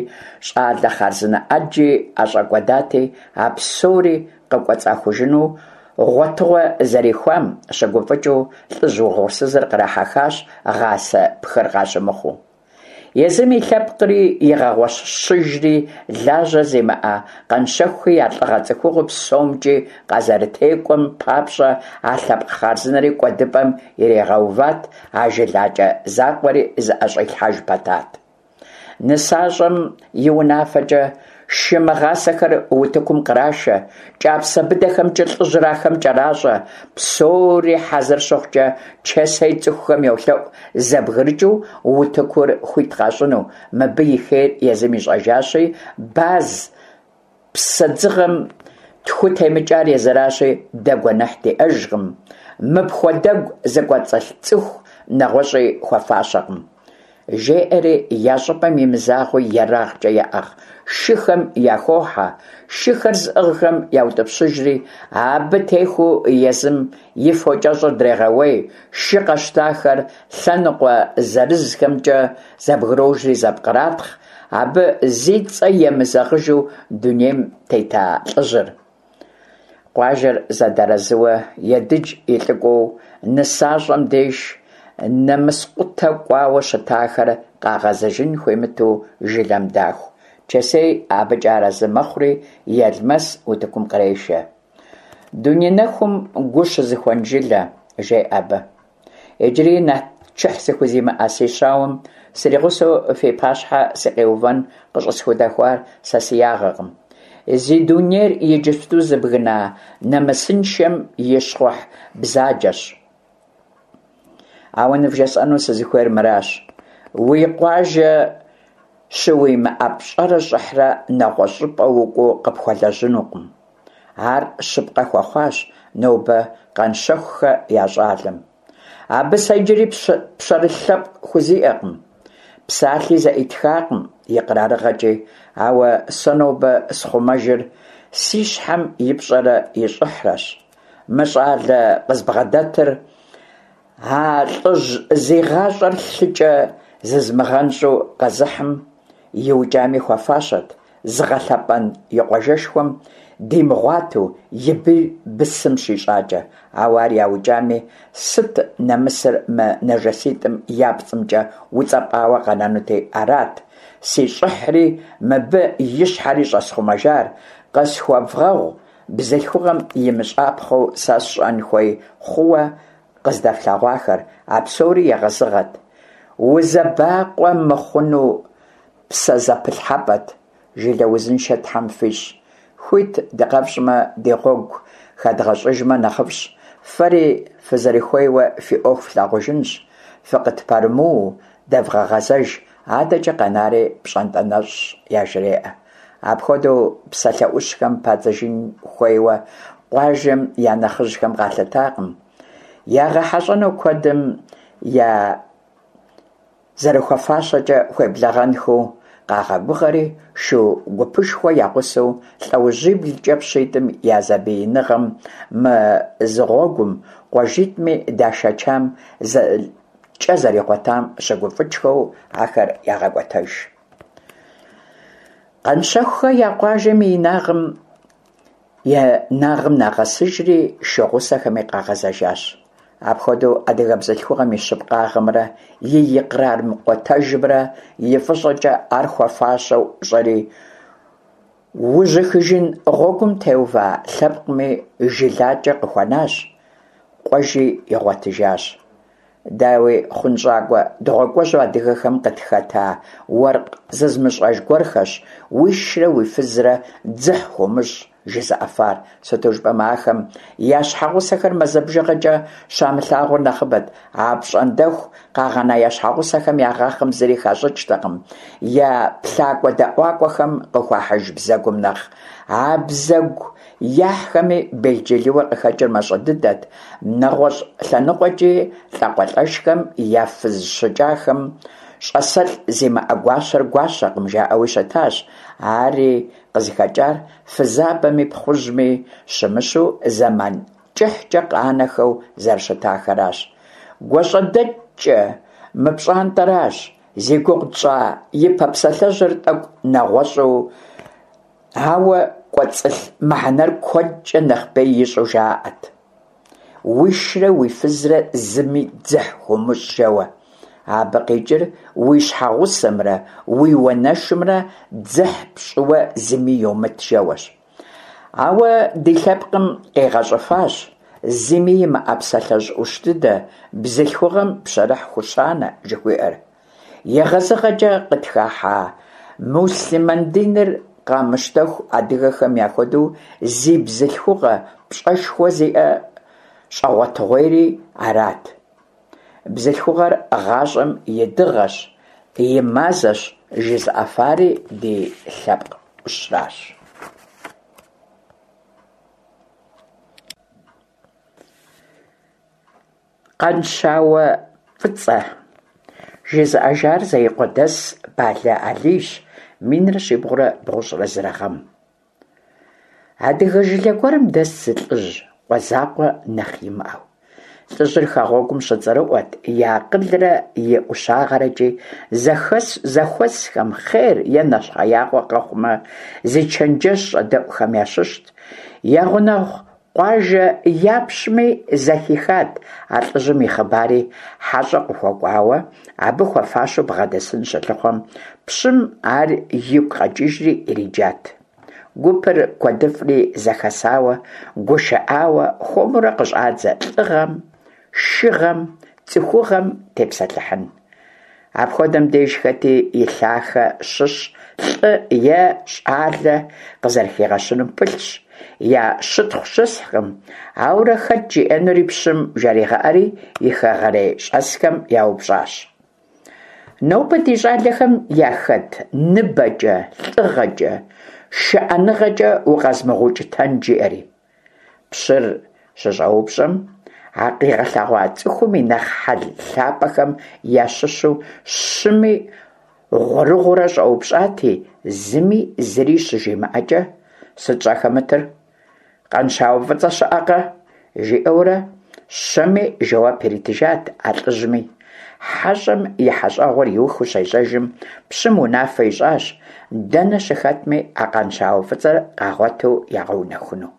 щӏалэ хъарзынэ ӏэджи ӏэщӏэкӏуэдати, а псори къыкӏуэцӏахужыну гъуэтыгъуэ зэрихуам щыгуфӏыкӏыу лӏыжь угъурсызыр кърахьэхащ, гъасэ пхыр къащымыхъуу. Езым и лъэпкъри игъэгъуэщыжри, лажьэ зимыӏэ Къанщэхухи я лӏыгъэ цӏыхугъэу псомкӏи къазэрытекӏуэм папщӏэ а лъэпкъ хъарзынэри кӏуэдыпӏэм иригъэуват, а жылакӏэ закъуэри зыӏэщӏилъхьэж пэтат. Нысащӏэм и унафэкӏэ шы мыгъасэхэр утыкум кърашэ, кӏапсэ быдэхэмкӏэ лӏыжьыр ахэм кӏэращӏэ. Псори хьэзыр щыхъукӏэ, Чэсей цӏыхухэм йолъэӏу зэбгрыкӏыу утыкур хуит къащӏыну, мыбы и хейр езым ищӏэжащи, баз псэдзыгъэм тху темыкӏар езыращи, дэ гуэныхь диӏэжкъым, мыпхуэдэгу зыкӏуэцӏылъ цӏыху нэгъуэщӏи хуэфащэкъым. Жеӏэри я щӏыпӏэм имызагъэу ерагъкӏэ яӏыгъ шыхэм яхохьэ, шыхэр зыӏыгъхэм яутӏыпщыжри, абы техуу езым и фокӏэщӏыр дрегъэуей, шы къэщтахэр лъэныкъуэ зырызхэмкӏэ зэбгрожри зэпкъратхъ, абы зи цӏэ емызэгъыжу дунейм тета лӏыжьыр. Къуажэр зэдэарэзыуэ Едыдж и лӏыкӏуэу нысащӏэм деж нэмыскъутэ кӏуауэ щытахэр къагъэзэжын хуимыту жылэм даху. Чэсей абыкӏэ арэзы мэхъури, Елмэс утыкум кърешэ. «Дуней нэхум гу щызыхуэн жылэ», жеӏэ абы. «Иджыри нэчыхь зыхузимыӏэ си щауэм сригъусэу фи пащхьэ сыкъиувэн къыщӏысхудэхуар сэ си ягъэкъым. Зи дунейр иджыпсту зыбгына нэмысыншэм и щхъухь бзаджэщ. Ауэ нывжесӏэну сызыхуейр мыращ: уи къуажэ щыуимыӏэ пщӏэрэ щӏыхьрэ нэгъуэщӏ щӏыпӏэ укӏуэу къыпхуэлэжьынукъым. Ар щыпкъэ хуэхъуащ нобэ Къанщэхухэ я щӏалэм. Абы сэ иджыри пщэрылъ лъэпкъ хузиӏэкъым, псалъи зэӏитхакъым икърарыгъэкӏи, ауэ сэ нобэ схъумэжыр си щхьэм и пщӏэрэ и щӏыхьрэщ. Мы щӏалэ къызбгъэдэтыр а лӏыжь зи гъащӏэр лъыкӏэ зызмыгъэнщӏу къэзыхьым иукӏами хуэфащэт, зыгъэлъэпӏэн и къуажэшхуэм димыгъуэту и бийр бысым щищӏакӏэ. Ауэ ар яукӏами, сыт нэмысыр мы нэжэситӏым я пцӏымкӏэ уцӏэпӏауэ къэнэнути арат си щӏыхьри мыбы и щхьэри щӏэсхъумэжар. Къысхуэвгъэгъу бзылъхугъэм имыщӏапхъэу сэ сщӏэн хуей хъууэ къыздэфлъэгъуахэр, а псори егъэзыгъэт, узэбакъуэ мыхъуну псэзэпылъхьэпӏэт. Жылэ узыншэ Тхьэм фищӏ. Хуит дыкъэфщӏмэ, ди гъуэгу хэдгъэщӏыжмэ нэхъыфӏщ. Фэри фызэрыхуейуэ фи ӏуэху флъагъужынщ. Фыкъытпэрымыуэу дэвгъэгъэзэж, адэкӏэ къэнари пщӏантӏэ нэщӏщ», яжреӏэ. Апхуэдэу псалъэ ӏущхэм падзыжын хуейуэ къуажэм я нэхъыжьхэм къалъытакъым. Ягъэхьэщӏэну куэдым я зэрыхуэфащэкӏэ хуеблэгъэнхэу къагъэгугъэри, шу гупышхуэ я гъусэу лӀэужьиблкӀэ пщитӀым я зэбииныгъэм мызыгъуэгум къуажитӀми дашэчам кӀэ зэригъуэтам щыгуфӀыкӀхэу ахэр ягъэкӀуэтэж. Къанщэхухэ я къуажэм и инагъым енагъым нагъэсыжри, шу гъусэхэми къагъэзэжащ. Апхуэдэу адыгэ бзылъхугъэм и щыпкъагъэмрэ и икърар мыкъутэжымрэ и фӀыщӀэкӀэ ар хуэфащэу ӀущӀэри, ужьыхыжын гъуэгум теува лъэпкъми жылакӀэ къыхуэнащ, къуэжи игъуэтыжащ. Дауи, хъунщӀакӀуэ дыгъуакӀуэжьу адыгэхэм къытхэта уэркъ зызмыщӀэж гуэрхэщ «уишрэ уи фызрэ дзыхь хуумыщӀ» жызыӀэфар, сыту жыпӀэмэ ахэм я щхьэгъусэхэр мазэ бжыгъэкӀэ щамылъагъур нэхъыбэт, апщӀондэху къагъэна я щхьэгъусэхэм ягъахъэм зыри хащӀыкӀтэкъым, я плъакӀуэ-дэӀуакӀуэхэм къыхуахьыж бзэгум нэхъ. А бзэгу яхьхэми белджылыуэ къыхэкӀыр мащӀэ дыдэт, нэгъуэщӀ лъэныкъуэкӀи лӀакъуэлӀэшхэм я фыз щыкӀахэм «щӀасэлӀ зимыӀэ гуащэр гуащэкъым» жаӀэуи щытащ, ари къызыхэкӀар фызабэми пхъужьми щымыщу зэман кӀыхькӀэ къанэхэу зэрыщытахэращ. ГуащӀэдэкӀкӀэ мы пщӀантӀэращ зи гугъу тщӀа ипэ псалъэжьыр тӀэкӀу нэгъуэщӀу, ауэ кӀуэцӀылъ мыхьэнэр куэдкӀэ нэхъ бей ищӀу жаӀэрт: «Уишрэ уи фызрэ зыми дзыхь хуумыщӀ» жэуэ. Абы къикӀыр уи щхьэгъусэмрэ уи уанэшымрэ дзыхь пщӀыуэ зыми йомыт жэуэщ. Ауэ ди лъэпкъым къигъэщӀыфащ зыми имыӀэ псалъэжь Ӏущ дыдэ «бзылъхугъэм пщэрыхь хущанэ» жыхуиӀэр. ЕгъэзыгъэкӀэ къытхыхьа муслъымэн диныр къамыщтэху адыгэхэм яхуэдэу зи бзылъхугъэ пщӀэшхуэ зиӀэ щӀэгъуэтыгъуейри арат. Бзылъхугъэр гъащӀэм и дыгъэщ, и мазэщ жызыӀэфари ди лъэпкъ Ӏущращ. Къанщауэ фӀыцӀэ. ЖызыӀэжар Зеикъуэдэс Балэ Алийщ, минрэ щибгъурэ бгъущӀрэ зырэ гъэм. Адыгэ жылэ гуэрым дэст зы лӀыжь, къуэ закъуэ нэхъ имыӀэу. ЛӀыжьыр хэгъуэгум щыцӀэрыӀуэт и акъылрэ и ӀущагърэкӀи, зэхуэсхэм хъер е нэщхъеягъуэ къэхъумэ, зи чэнджэщ щӀэдэӀухэм ящыщт. Я гъунэгъу къуажэ япщми зэхихат а лӀыжьым и хъыбари, хьэщӀэ къыхуэкӀуауэ абы хуэфащэу бгъэдэсын щылъыхъуэм, пщым ар игу къэкӀыжри ириджат. Гупыр куэдыфӀри зэхэсауэ, гушыӀауэ, хуэмурэ къыщӀадзэ лӀыгъэм, шыгъэм, цӀыхугъэм тепсэлъыхьын. Апхуэдэм деж хэти и лъахэ щыщ лӀы е щӀалэ къызэрыхигъэщыным пылъщ, я щытхъу щысхькъым. Ауэрэ хэт жиӀэнури пщым жаригъэӀэри, и хэгъэрей щӀэсхэм яупщӀащ: Нобэ ди щӀалэхэм яхэт ныбэкӀэ, лӀыгъэкӀэ, шыӀэныгъэкӀэ укъэзымыгъэукӀытэн? жиӀэри. Пщыр щыщӀэупщӀэм, а къигъэлъэгъуа цӀыхум и нэхъ хьэл лъапӀэхэм ящыщу щыми гъуэрыгъуэурэ щӀэупщӀати, зыми зыри щыжимыӀэкӀэ, «Сыт щӀахэмытыр? Къанщауэ фӀыцӀэ щыӀэкъэ?» жиӀэурэ щэми жэуап иритыжат а лӀыжьми. ХьэщӀэм и хьэщӀэгъуэр иухыу щежьэжым, пщым унафэ ищӀащ дэнэ щыхэтми а Къанщауэ фӀыцӀэр къагъуэту ягъэунэхуну.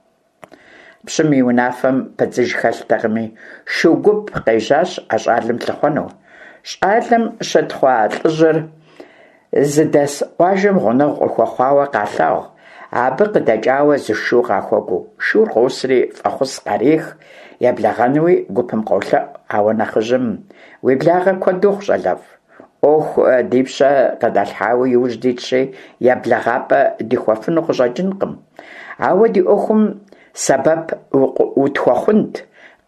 Пщым и унафэм пыдзыж хэлътэкъыми, шу гуп къежьащ а щӀалэм лъыхъуэну. ЩӀалэм щытхъуа лӀыжьыр зыдэс къуажэм гъунэгъу къыхуэхъуауэ къалъагъу, абы къыдэкӀауэ зы шу къахуэкӀуэу. Шур къосри фӀэхъус къарех, еблэгъэнуи гупым къолъэӀу, ауэ нэхъыжьым «Уи благъэ куэд ухъу, щӀалэфӀ, Ӏуэху ди пщэ къыдалъхьауэ иужь дитщи, еблэгъапӀэ дихуэфыну къыщӀэкӀынкъым. Ауэ ди Ӏуэхум сэбэп утхуэхъунт,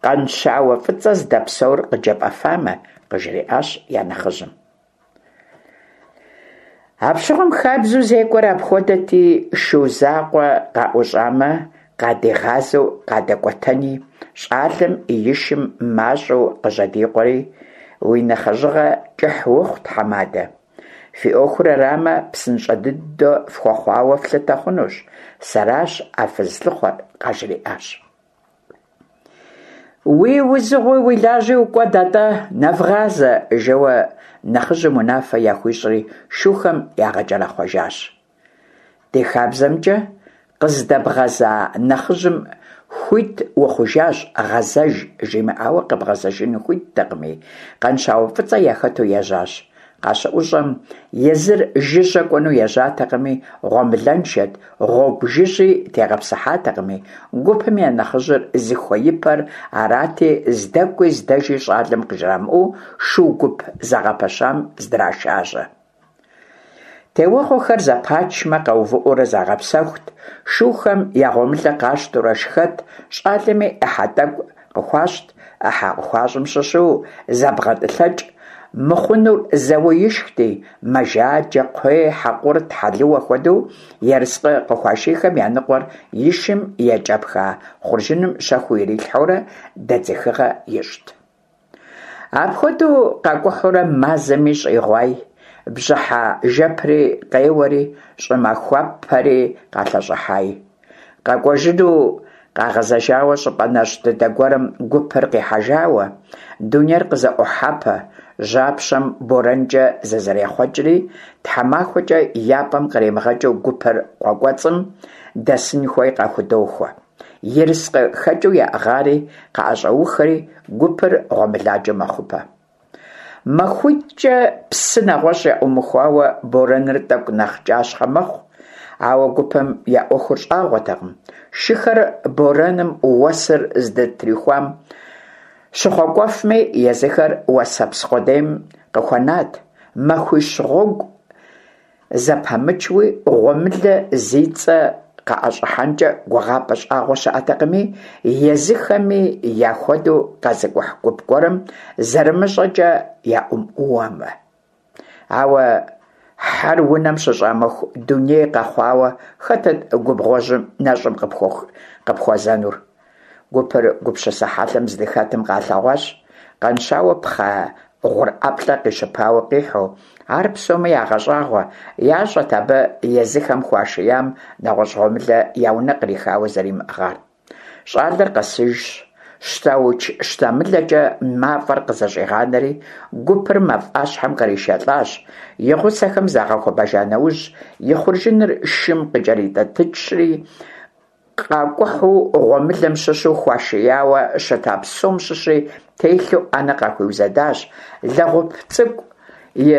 Къанщауэ фӀыцӀэ здэпсэур къыджепӀэфамэ», къыжриӀащ я нэхъыжьым. Апщыгъуэм хабзэу зекӀуэр апхуэдэти, шу закъуэ къаӀущӀамэ, къадигъазэу къадэкӀуэтэни, щӀалэм и шым мащӀэу къыжьэдикъуэри: «Уи нэхъыжьыгъэ кӀыхь ухъу, тхьэмадэ! Фи ӏуэхур арамэ, псынщӏэ дыдэ фхуэхъуауэ флъытэ хъунущ, сэращ а фызылъыхъуэр, къажриӏащ. Уи узыгъуи уи лажьи укӏуэд атӏэ, нэвгъазэ, жэуэ нэхъыжьым унафэ яхуищӏри, шухэм ягъэкӏэрэхъуэжащ. Ди хабзэмкӏэ, къыздэбгъэза нэхъыжьым хуит ухъужащ, гъэзэж жимыӏауэ къэбгъэзэжыну хуиттэкъыми, Къанщауэ Фӏыцӏэ яхэту ежьащ. Къащыӏущӏэм, езыр жыжьэ кӏуэну ежьатэкъыми, гъуэмылэншэт, гъуэгу жыжьи тегъэпсыхьатэкъыми, гупым я нэхъыжьыр зыхуеипэр арати, здэкӏуи здэжи щӏалэм къыжрамыӏэу шу гуп зэгъэпэщам здрашажьэ. Теуэгъуэхэр зэпачмэ, къэувыӏэурэ загъэпсэхут, шухэм я гъуэмылэ къащтэурэ шхэт, щӏалэми ӏыхьэ тӏэкӏу къыхуащӏт, ӏыхьэ къыхуащӏым щыщу зэбгъэтӏылъэкӏ мыхъунур зэуэ ишхти, мэжаджэ, кхъуей, хьэкъурт, хьэлыуэ хуэдэу ерыскъы къыхуашийхэм я ныкъуэр и шым екӏэпха хъуржыным щэхуу ирилъхьэурэ дэдзыхыгъэ ищӏт. Апхуэдэу къакӏухьурэ мазэми щӏигъуай, бжьыхьэ жэпри къеуэри, щӏымахуэпэри къалъэщӏыхьай. Къэкӏуэжыну къагъэзэжауэ щӏыпӏэ нэщӏ дыдэ гуэрым гупыр къихьэжауэ, дунейр къызэӏохьэпэ, жьапщэм борэнкӏэ зызэрехъуэкӏри, тхьэмахуэкӏэ я пӏэм къримыгъэкӏыу гупыр къуэ кӏуэцӏым дэсын хуей къахудохуэ. Ерыскъы хэкӏыу яӏыгъари къаӏэщӏэухэри, гупыр гъуэмыладжэ мэхъупэ. МахуитӏкӀэ псы нэгъуэщӏ яӏумыхуауэ борэныр тӏэкӏу нэхъ кӏащхъэ мэхъу, ауэ гупым я ӏуэхур щӏагъуэтэкъым. Шыхэр борэным уэсыр здытрихуам щыхъуэкӏуэфми, езыхэр уэсэпс къудейм къыхуэнат. Махуищ гъуэгу зэпамычуи, гъуэмылэ зи цӏэ къаӏэщӏыхьэнкӏэ гугъапӏэ щӏагъуэ щыӏэтэкъыми, езыхэми яхуэдэу къэзыкӏухь гуп гуэрым зэрымыщӏэкӏэ яӏумыуэмэ. Ауэ хьэр унэм щыщӏамыху дуней къэхъуауэ, хэтыт губгъуэжьым нэщӏым къыпхуэзэнур? Гупыр гупсысэ хьэлъэм здыхэтым къалъэгъуащ Къанщауэ пхъэ гъур ӏэплӏэ къищыпауэ къихьу. Ар псоми ягъэщӏагъуэ, ящӏэт абы езыхэм хуашиям нэгъуэщӏ гъуэмылэ я унэ кърихауэ зэримыӏыгъар. Щӏалэр къэсыжщ, щтауч-щтэмылэкӏэ мафӏэр къызэщӏигъанэри, гупыр мафӏащхьэм къришэлӏащ. И гъусэхэм загъэхуэбэжа нэужь, и хъуржыныр шым къыкӏэритӏэтыкӏри, къакӏухьу гъуэмылэм щыщу хуашияуэ щыта псом щыщи телъу ӏэнэ къахуиузэдащ. Лэгъуп цӏыкӏу и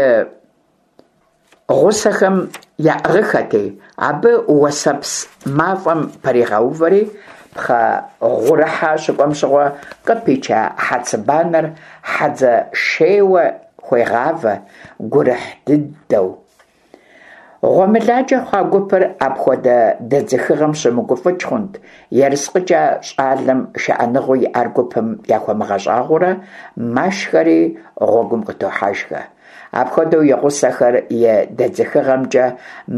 гъусэхэм яӏыгъыхэти, абы уэсэпс мафӏэм пэригъэувэри, пхъэ гъурыхьэ щыкӏуэм щыгъуэ къыпича хьэцыбанэр хьэдзэ шейуэ хуегъавэ, гурыхь дыдэу. Гъуэмыладжэ хъуа гупыр апхуэдэ дэдзыхыгъэм щымыгуфӏыкӏ хъунт, ерыскъыкӏэ щӏалэм шыӏэныгъэу иӏар гупым яхуэмыгъэщӏагъуэурэ машхэри гъуэгум къытохьэжхэ. Апхуэдэу и гъусэхэр и дэдзыхыгъэмкӏэ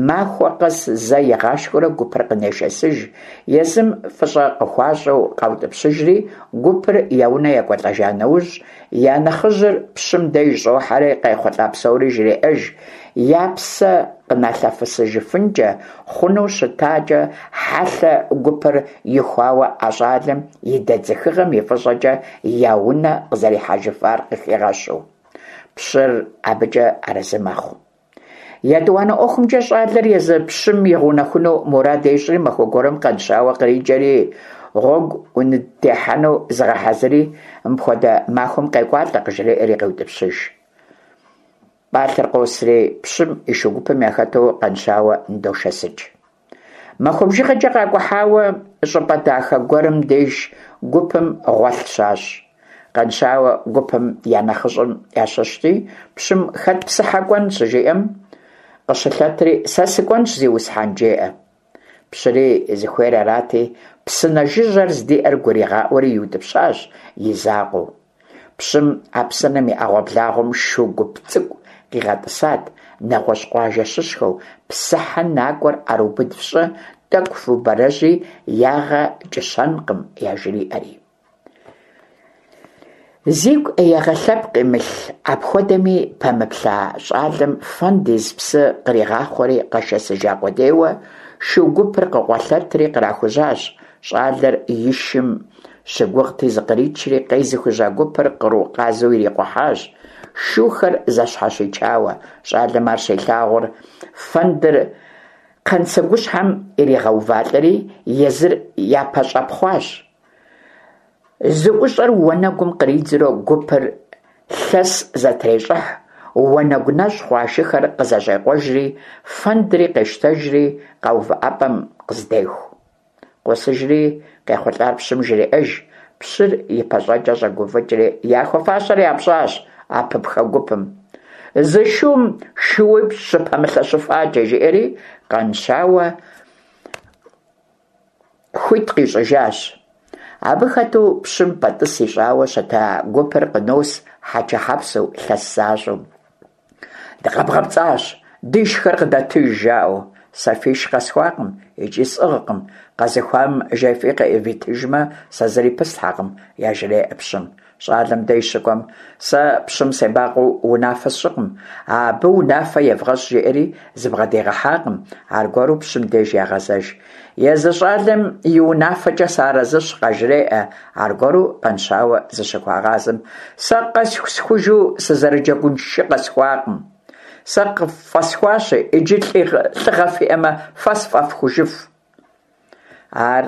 махуэ къэс зэ игъашхэурэ гупыр къынешэсыж, езым фӏыщӏэ къыхуащӏу къаутӏыпщыжри, гупыр я унэ екӏуэлӏэжа нэужь, я нэхъыжьыр пщым деж щӏохьэри къайхъулӏа псори жреӏэж, я псэ къыналъэфысыжыфынкӏэ хъуну щытакӏэ хьэлъэ гупыр ихуауэ а щӏалэм и дэдзыхыгъэм и фӏыщӏэкӏэ я унэ къызэрихьэжыфар къыхигъэщу. Пщыр абыкӏэ арэзы мэхъу. Етӏуанэ ӏуэхумкӏэ щӏалэр езы пщым игъэунэхуну мурад ещӏри, махуэ гуэрым Къанщауэ къриджэри, гъуэгу уныттехьэну зыгъэхьэзыри, мыпхуэдэ махуэм къекӏуалӏэ, къыжреӏэри къеутӏыпщыж. Пӏалъэр къосри, пщым и шу гупым яхэту Къанщауэ ныдошэсыкӏ. Махуэ бжыгъэкӏэ къакӏухьауэ, щӏыпӏэ дахэ гуэрым деж гупым гъуэлъ щащӏ. Къанщауэ гупым я нэхъыщӏэм ящыщти, пщым хэт псыхьэ кӏуэн щыжиӏэм, къыщылъэтри «Сэ сыкӏуэнщ, зиусхьэн», жеӏэ. Пщыри зыхуейр арати, псынэ жыжьэр здиӏэр гуригъаӏуэри иутӏыпщащ и закъуэу. Пщым а псынэм и ӏэгъуэблагъуэм шу гуп цӏыкӏу къигъэтӏысат, нэгъуэщӏ къуажэ щыщхэу, псыхьэ накӏуэр ӏэрыубыд фщӏы, тӏэкӏу фубэрэжьи, ягъэ кӏыщэнкъым, яжриӏэри. Зигу ӏеягъэ лъэпкъ имылъ, апхуэдэми пэмыплъа щӏалэм фэнд из псы къригъахъуэри къэшэсыжа къудейуэ, шу гупыр къыкъуэлъэтри кърахужьащ. Щӏалэр и шым щыгугъти, зыкъричри, къезыхужьа гупыр къру къазу ирикъухьащ, шухэр зэщхьэщичауэ. Щӏалэм ар щилъагъур, фэндыр кхъэнсэгущхьэм иригъэувалӏэри, езыр япэщӏэпхъуащ. ЗыӀущӀэр уанэгум къридзурэ гупыр лъэс зэтрещӀыхь, уанэгу нэщӀ хъуа шыхэр къызэщӀекъуэжри, фэндри къещтэжри къэувыӀэпӀэм къыздеху. Къосыжри къехъулӀар пщым жреӀэж. Пщыр и пащӀэкӀэ щӀэгуфӀыкӀри: «Яхуэфащэр япщӀащ а пыпхэ гупым, зы шум шууипщӀ щыпэмылъэщыфакӀэ», – жиӀэри Къанщауэ хуит къищӀыжащ. Абы хэту пщым пэтӀыс ищӀауэ щыта гупыр къынос хьэчэхьэпсэу, лъэс защӀэу. «ДыкъэбгъэпцӀащ, дишхэр къыдэтыж», – жаӀэу. «Сэ фиш къэсхуакъым икӀи сӀыгъкъым, къэзыхуам жефӀи къывитыжмэ, сэ зыри пыслъхьэкъым», – яжреӀэ пщым. ЩӀалэм деж щыкӀуэм: «Сэ пщым себакъуэу унафэ сщӀыкъым, абы унафэ евгъэщӀ», – жиӀэри зыбгъэдигъэхьакъым. Аргуэру пщым деж ягъэзэж. «Езы щӀалэм и унафэкӀэ сыарэзыщ», – къажреӀэ. Аргуэру Къанщауэ зыщыхуагъазэм: «Сэ къэсхужу сызэрыджэгун шы къэсхуакъым. Сэ къыффӀэсхуащи, иджы лӀыгъэ фиӀэмэ, фэ сфӀэфхужыф». Ар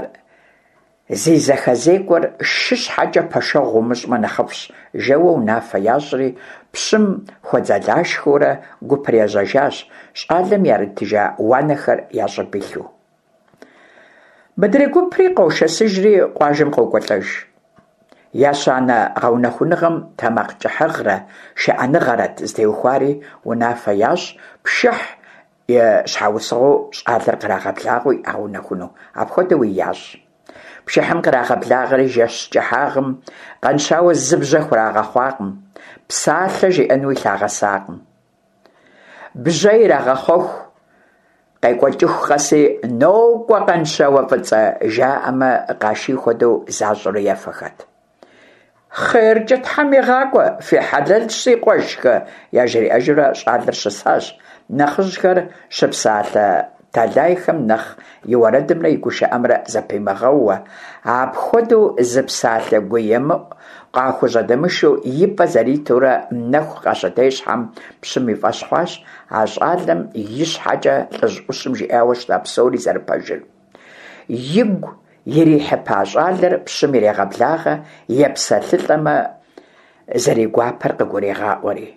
зи зэхэзекӀуэр шы щхьэкӀэ пэшэгъу умыщӀмэ нэхъыфӀщ, жэуэ унафэ ящӀри, пщым хуэдзэлашхэурэ гупыр ежьэжащ, щӀалэм яритыжа уанэхэр я щӀыб илъу. Мыдрей гупри къошэсыжри къуажэм къокӀуэлӀэж. Ещанэ гъэунэхуныгъэм тэмакъкӀыхьыгъэрэ шыӀэныгъэрэт зытеухуари, унафэ ящӀ пшыхь и щхьэусыгъуэу щӀалэр кърагъэблагъэу ягъэунэхуну. Апхуэдэуи ящӀ. Пшыхьым кърагъэблагъэри, жэщ кӀыхьагъым Къанщауэ зы бжьэ хурагъэхъуакъым, псалъэ жиӀэнуи лъагъэсакъым. Бжьэ ирагъэхъуэху къекӀуэкӀыху къэси «НокӀуэ Къанщауэ фӀыцӀэ!» жаӀэмэ, къаший хуэдэу защӀурэ ефэхэт. «ХъеркӀэ тхьэм игъакӀуэ, фи хьэлэлщ, си къуэшхэ!» яжриӀэжурэ щӀалэр щысащ, нэхъыжьхэр щыпсалъэ тэлайхэм нэхъ и уэрэдымрэ и гушыӀэмрэ зэпимыгъэууэ. Апхуэдэу зы псалъэ гуемыӀу къахужьэдэмышэу и пӀэ зэритурэ нэху къащытещхьэм, пщым и фӀэщ хъуащ а щӀалэм и щхьэкӀэ лӀыжь Ӏущым жиӀауэ щыта псори зэрыпэжыр. Игу ирихьыпа щӀалэр пщым ирегъэблагъэ, епсэлъылӀэмэ зэригуапэр къыгурегъаӀуэри.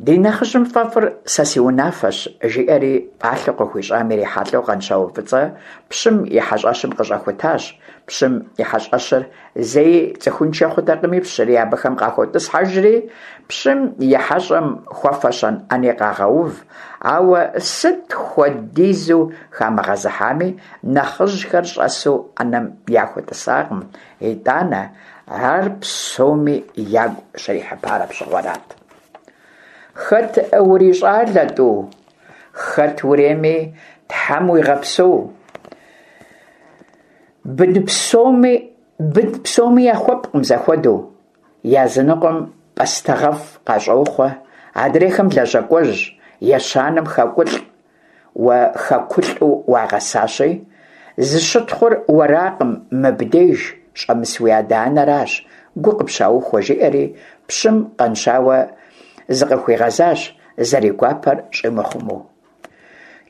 «Ди нэхъыжьым фӀэфӀыр сэ си унафэщ», – жиӀэри пӀалъэу къыхуищӀам ирихьэлӀэу Къанщауэ фӀыцӀэ пщым и хьэщӀэщым къыщӀэхутащ. Пщым и хьэщӀэщыр зэи цӀыхуншэ хъутэкъыми, пщыри абыхэм къахотӀысхьэжри, пщым и хьэщӀэм хуэфэщэн Ӏэни къагъэув, ауэ сыт хуэдизу хамыгъэзыхьами, нэхъыжьхэр щӀэсу Ӏэнэм яхутӀысакъым итӀанэ, ар псоми ягу щрихьыпар апщыгъуэрат. «Хэт урищӀалэ, тӀу? Хэт урейми, Тхьэм уигъэпсэу! Бын псоми бын псоми яхуэпкъым зэхуэдэу. Языныкъуэм пӀастэгъэфӀ къащӀохъуэ, адрейхэм лэжьакӀуэжь, ещанэм хэкулӀ. Уэ хэкулӀу уагъэсащи, зыщытхъур уэракъым, мыбдеж щӀэмыс уи адэ-анэращ, гу къыпщаухуэ», – жиӀэри пщым Къанщауэ зыкъыхуигъэзащ, зэригуапэр щӀимыхъумэу.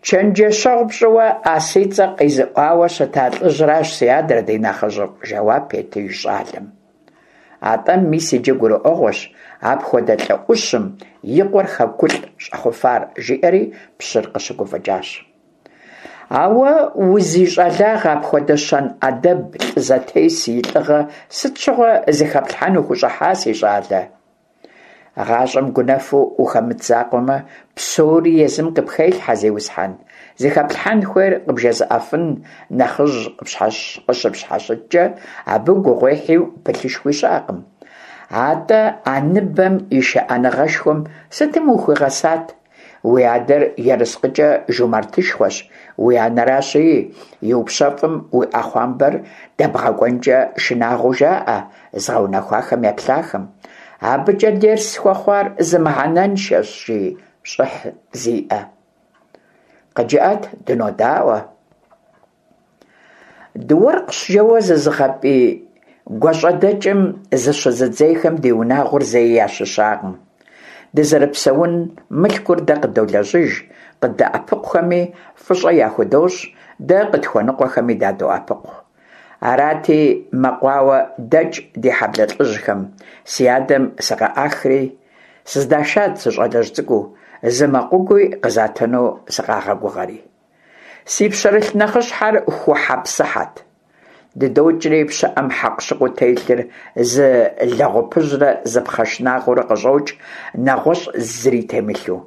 «Чэнджэщэгъу пщӀыуэ а си цӀэ къизыӀуауэ щыта лӀыжьращ си адэр, ди нэхъыжьыфӀ», – жэуап етыж щӀалэм. АтӀэ мис иджы гурыӀуэгъуэщ апхуэдэ лӀы Ӏущым и къуэр хэкулӀ щӀэхъуфар, жиӀэри пщыр къыщыгуфӀыкӀащ. Ауэ узищӀалагъ апхуэдэ щэн Ӏэдэб, лӀы зэтес и лӀыгъэ сыт щыгъуэ зыхэплъхьэн ухущӀыхьа, си щӀалэ? ГъащӀэм гунэфу ухэмыт закъуэмэ, псори езым къыпхелъхьэ, зиусхьэн. Зыхэплъхьэн хуейр къыбжезыӀэфын нэхъыжь къыщыпщхьэщыткӀэ, абы гугъуехьу пылъышхуи щыӀэкъым. АтӀэ а ныбэм и шыӀэныгъэшхуэм сытым ухуигъэсат? Уи адэр ерыскъыкӀэ жумартышхуэщ, уи анэращи, иупщэфӀым уи Ӏэхъуамбэр дэбгъэкӀуэнкӀэ шынагъуэу жаӀэ зыгъэунэхуахэм еплъахэм. АбыкӀэ дерс схуэхъуар зы мыхьэнэншэщ, жи щӀыхь зиӀэ. КъыджыӀэт, дынодаӀуэ. Дыуэркъщ жэуэ зызыгъэпӀий гуащӀэдэкӀым зыщызыдзейхэм ди унагъуэр зэи ящыщакъым. Дызэрыпсэун мылъкур дэ къыдолэжьыж, къыддэӀэпыкъухэми фӀыщӀэ яхудощӀ, дэ къытхуэныкъуэхэми дадоӀэпыкъу. Арати, мэкъуауэ дэкӀ ди хьэблэ лӀыжьхэм си адэм сыкъыӀахри сыздашат сыщӀалэжь цӀыкӀуу, зы мэкъугуи къызатыну сыкъагъэгугъэри. Си пщэрылъ нэхъыщхьэр хухьэ-псыхьэт. ДыдокӀри, пщыӀэм хьэкъущыкъуу телъыр зы лэгъупыжьрэ зы пхъэ шынакъыурэ къыщӀокӀ, нэгъуэщӀ зыри темылъу.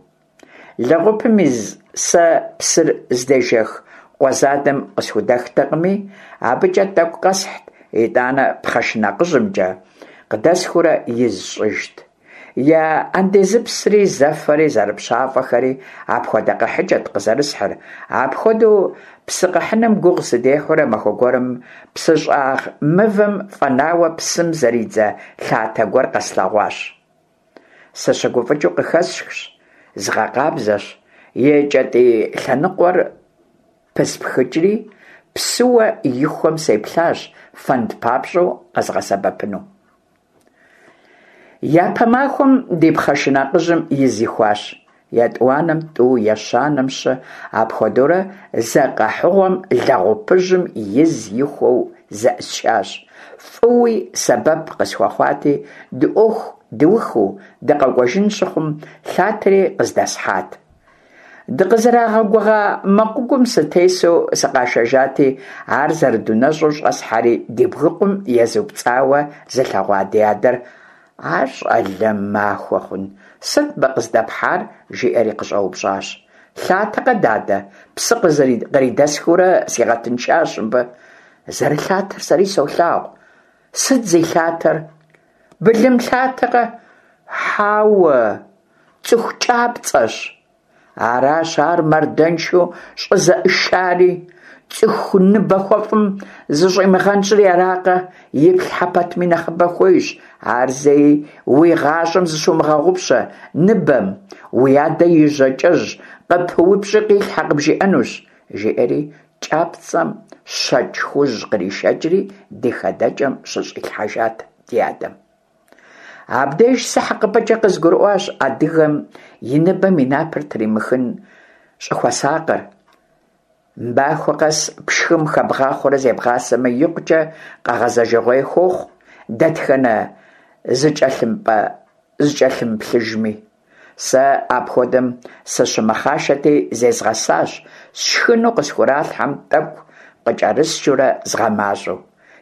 Лэгъупым из сэ псыр здежэх къуэ задэм къысхудэхтэкъыми, абыкӀэ тӀэкӀу къэсхьт, итӀанэ пхъэ шынакъыжьымкӀэ къыдэсхыурэ из сщӀыжт. Я андезыпсри, зэфэри, зэрыпщафӀэхэри апхуэдэ къэхьыкӀэт къызэрысхьыр. Апхуэдэу псы къэхьыным гугъу сыдехьурэ, махуэ гуэрым псыщӀагъ мывэм фӀэнауэ псым зэридзэ лъатэ гуэр къэслъэгъуащ. СыщыгуфӀыкӀыу къыхэсхщ, згъэкъабзэщ, и кӀэтӀий лъэныкъуэр пыспхыкӀри, псыуэ ихуэм сеплъащ, фэнд папщӀэу къэзгъэсэбэпыну. Япэ махуэм ди пхъэ шынакъыжьым из ихуащ, етӀуанэм тӀу, ещанэм щы, апхуэдэурэ зэ къэхьыгъуэм лэгъупыжьым из ихуэу зэӀысхащ. ФӀыуи сэбэп къысхуэхъуати, ди Ӏуэху дыухыу дыкъэкӀуэжын щыхъум, лъатэри къыздэсхьат. Дыкъызэрагъэгугъа мэкъугум сытесу сыкъашэжати, ар зэрыдунэщӀу щӀэсхьэри, ди бгыкъум езупцӀауэ зылъэгъуа ди адэр «А щӀалэ махуэ хъун, сыт мы къыздэпхьар?» жиӀэри къыщӀэупщӀащ. Лъатэкъэ, дадэ, псы къридэсхыурэ сигъэтыншащ мыбы. Зэрылъатэр сэри солъагъу. Сыт зи лъатэр? Былым лъатэкъэ? Хьэуэ, цӀыху кӀапцӀэщ. Аращ ар мардэншэу щӀызэӀышари. ЦӀыху ныбэ хуэфӀым зыщӀимыгъэнщӀри аракъэ, иплъхьэ пэтми нэхъыбэ хуейщ. Ар зэи уи гъащӀэм зыщумыгъэгъупщэ, ныбэм, уи адэ и жьакӀэжь къыпыупщӀи къилъхьэ къыбжиӀэнущ, жиӀэри кӀапцӀэм щэкӀ хужь къришэкӀри ди хадэкӀэм щыщӀилъхьэжат ди адэм. Абдеж сэ хьэкъыпӀэкӀэ къызгурыӀуащ адыгэм и ныбэм и напэр тримыхын щӀыхуэсакъыр. Махуэ къэс пшхым хэбгъахъуэурэ зебгъасэмэ, икъукӀэ къэгъэзэжыгъуей хуохъу дэтхэнэ зыкӀэлъымыплъыжми. Сэ апхуэдэм сыщымэхъашэти зезгъэсащ, сшхыну къысхуралъхьэм тӀэкӀу къыкӀэрысчурэ згъэмащӀэу.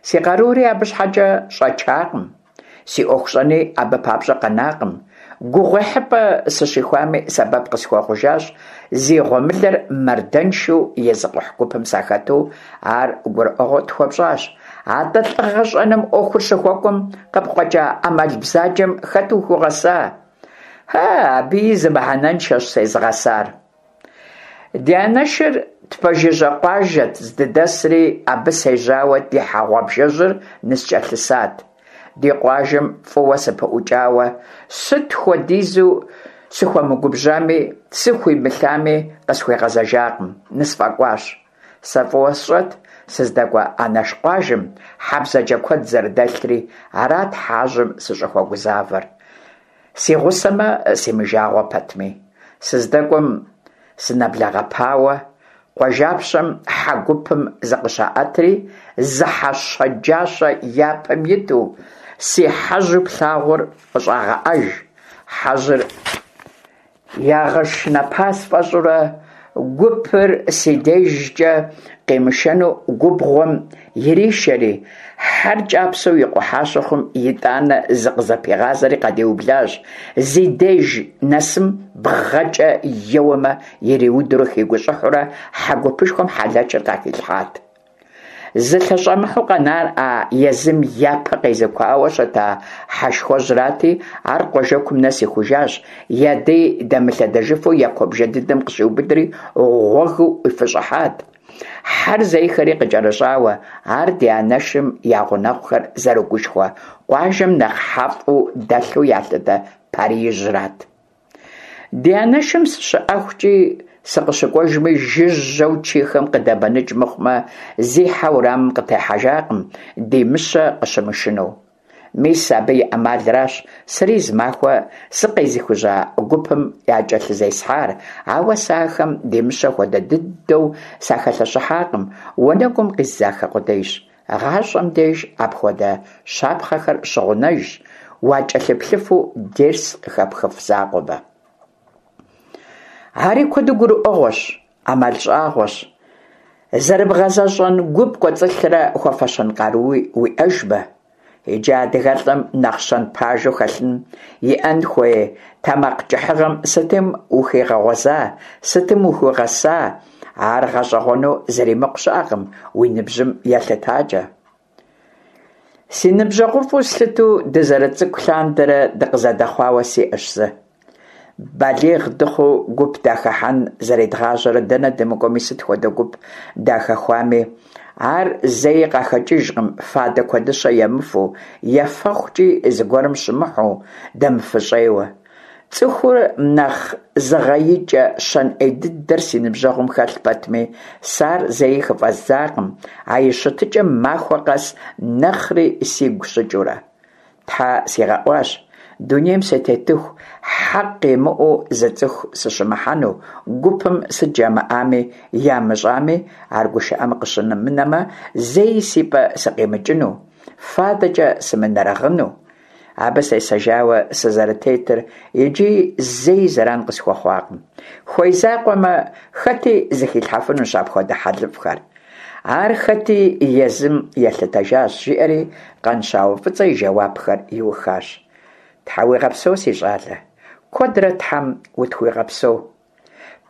Си къарури абы щхьэкӀэ щӀэчакъым, си Ӏуэху щӀэни абы папщӀэ къэнакъым. ГугъуехьыпӀэ сыщихуами, сэбэп къысхуэхъужащ, зи гъуэмылэр мардэншэу езыкъухь гупым сахэту, ар гурыӀуэгъуэ тхуэпщӀащ. АтӀэ лӀыгъэ щӀэным Ӏуэхур щыхуэкӀуэм къыпкъуэкӀа Ӏэмал бзаджэм хэт ухуигъэса? Хьэ, абыи зы мыхьэнэншэщ сезыгъэсар. Ди анэшыр тпэжыжьэ къуажэт здыдэсри, абы сежьауэ ди хьэ гъуабжэжьыр ныскӀэлъысат. Ди къуажэм фӀыуэ сыпыӀукӀауэ, сыт хуэдизу сыхуэмыгубжьами, сыхуимылъами, къысхуегъэзэжакъым, нысфӀэкӀуащ. Сэ фӀыуэ сщӀэт сыздэкӀуэ анэш къуажэм хьэ бзаджэ куэд зэрыдэлъри, арат хьэжьым сыщӀыхуэгузавэр. Си гъусэмэ, симыжагъуэ пэтми. СыздэкӀуэм сынэблэгъэпауэ, къуажапщэм хьэ гупым зыкъыщаӀэтри, зы хьэ щэджащэ япэм иту, си хьэжьу плъагъур къыщӀагъэӀэж. Хьэжьыр ягъэшынэпа сфӀэщӀурэ, гупыр си дежкӀэ къимышэну губгъуэм иришэри, хьэр кӀапсэу икъухьа щыхъум, итӀанэ зыкъызэпигъазэри къадиублащ, зи деж нэсым бгъэкӀэ еуэмэ, ириудурэ хигущӀыхьурэ хьэ гупышхуэм хьэлэчыр къахилъхьат. Зылъэщӏэмыхьэу къэнар а езым япэ къезыкуауэ щыта хьэшхуэжьрати, ар къуажэкум нэс ихужащ, я дей дэмылъэдэжыфу я куэбжэ дыдэм къыщиубыдри, гъуэгыу ӏуифыщӏыхьат, хьэр зейхэри къыкӏэрыщӏауэ. Ар ди анэшым я гъунэгъухэр зэрыгушхуэ, къуажэм нэхъ хьэфӏу дэлъу ялъытэ Париижьрат. Ди анэшым сыщыӏэхукӏи сыкъыщыкӏуэжми, жыжьэу чийхэм къыдэбэныкӏ мыхъумэ, зи хьэ уэрамым къытехьэжакъым, ди Мыщэ къыщымышынэу. Мис абы и ӏэмалращ сэри зымахуэ сыкъезыхужьа гупым якӏэлъызесхьар, ауэ сэ ахэм ди Мыщэ хуэдэ дыдэу сахэлъэщыхьакъым, уанэгум къиздзахэ къудейщ. ГъащӀэм деж апхуэдэ щапхъэхэр щыгъунэжщ, уакӀэлъыплъыфу дерс къыхэпхыф закъуэмэ. Ари куэду гурыӀуэгъуэщ, Ӏэмал щӀагъуэщ, зэрыбгъэзэщӀэн гу пкӀуэцӀылърэ хуэфэщэн къаруи уиӀэжмэ. Иджы адыгэлӀым нэхъ щэн пажэу хэлъын, иӀэн хуей тэмакъкӀыхьыгъэм сытым ухигъэгъуэза, сытым ухуигъэса, ар гъэщӀэгъуэну зэримыкъу щыӀэкъым уи ныбжьым елъытакӀэ. Си ныбжьэгъуфӀу слъытэу дызэрыцӀыкӀу лъандэрэ дыкъызэдэхъуауэ сиӀэщ зы. Балигъ дыхъуу гуп дахыхьэн зэредгъажьэрэ дэнэ дымыкӀуэми, сыт хуэдэ гуп дахэхуами, ар зэи къахэкӀыжкъым фадэ куэдыщэ емыфэу, ефэхукӀи зыгуэрым щымыхьу, дэмыфыщӀейуэ. ЦӀыхур нэхъ зыгъэикӀэ щэн Ӏей дыдэр си ныбжьэгъум хэлъ пэтми, сэ ар зэи хыфӀэздзакъым, а и щытыкӀэм махуэ къэс нэхъри сигу щыкӀыурэ. Тхьэ сигъэӀуащ, дунейм сытетыху хьэкъ имыӀэу зы цӀыху сыщымыхьэну, гупым сыт жамыӀами, ямыщӀами, ар гушыӀэм къыщымынэмэ, зэи си пӀэ сыкъимыкӀыну, фадэкӀэ сымынэрыгъыну. Абы сесэжауэ сызэрытетыр иджыи зэи зэран къысхуэхъуакъым. Хуей закъуэмэ, хэти зыхилъхьэфынущ апхуэдэ хьэлыфӀхэр. Ар хэти езым елъытэжащ, жиӀэри Къанщауэ ФӀыцӀэ и жэуапхэр иухащ. Тхьэ уигъэпсэу, си щӀалэ, куэдрэ Тхьэм утхуигъэпсэу.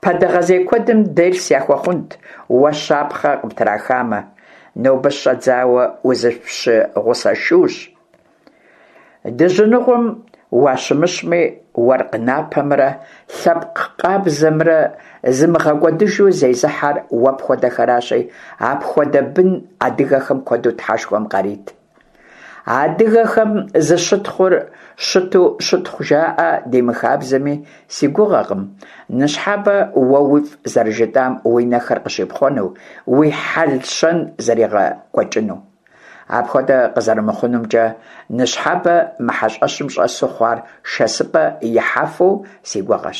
Пэдэгъэзей куэдым дерс яхуэхъунт, уэ щапхъэ къыптрахамэ. Нобэ щыщӀэдзауэ узыпщыгъусэшущ. Дыжьыныгъуэм уащымыщми, уэркъ напэмрэ лъэпкъ къабзэмрэ зымыгъэкӀуэдыжу зезыхьэр уэ пхуэдэхэращи, апхуэдэ бын адыгэхэм куэду Тхьэшхуэм къарит. Адыгэхэм зыщытхъур щыту щытхъу жаӀэ ди мыхабзэми, си гугъэкъым ныщхьэбэ уэ уифӀ зэрыжытӀам уи нэхэр къыщипхъуэну, уи хьэл-щэн зэригъэкӀуэкӀыну. Апхуэдэ къызэрымыхъунумкӀэ ныщхьэбэ мы хьэщӀэщым щӀэсу хъуар шэсыпӀэ ихьэфу си гугъэщ.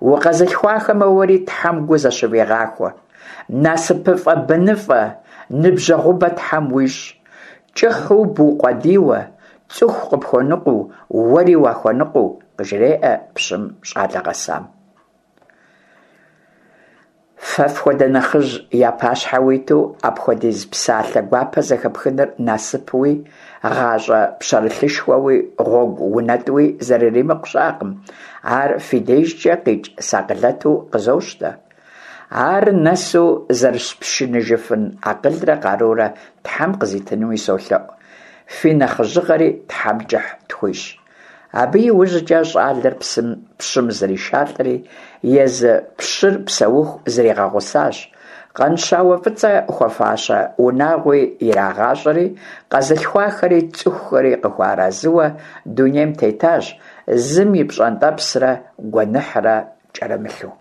Укъэзылъхуахэмрэ уэри Тхьэм гу зэщывигъахуэ. НасыпыфӀэ-быныфӀэ, ныбжьэгъубэ Тхьэм уищӀ. КӀыхьу букъуэдийуэ, цӀыху къыпхуэныкъуэу, уэри уахуэныкъуэу, къыжреӀэ пщым щӀалэ гъэсам. Фэ фхуэдэ нэхъыжь я пащхьэ уиту апхуэдиз псалъэ гуапэ зэхэпхыныр насыпуи, гъащӀэ пщэрылъышхуэуи, гъуэгу унэтӀуи зэрыримыкъу щыӀэкъым, ар фи дежкӀэ къикӀ сакъылэту къызощтэ. Ар нэсу зэрыспшыныжыфын акъылрэ къарурэ Тхьэм къызитынуи солъэӀу, фи нэхъыжьыгъэри Тхьэм кӀыхь тхуищӀ. Абы и ужькӀэ щӀалэр псым пщым зришалӀэри, езы пщыр псэуху зригъэгъусащ. Къанщауэ ФӀыцӀэ хуэфащэ унагъуи ирагъащӀэри, къэзылъхуахэри цӀыхухэри къыхуэарэзыуэ дунейм тетащ, зым и пщӀэнтӀэпсрэ гуэныхьрэ кӀэрымылъу.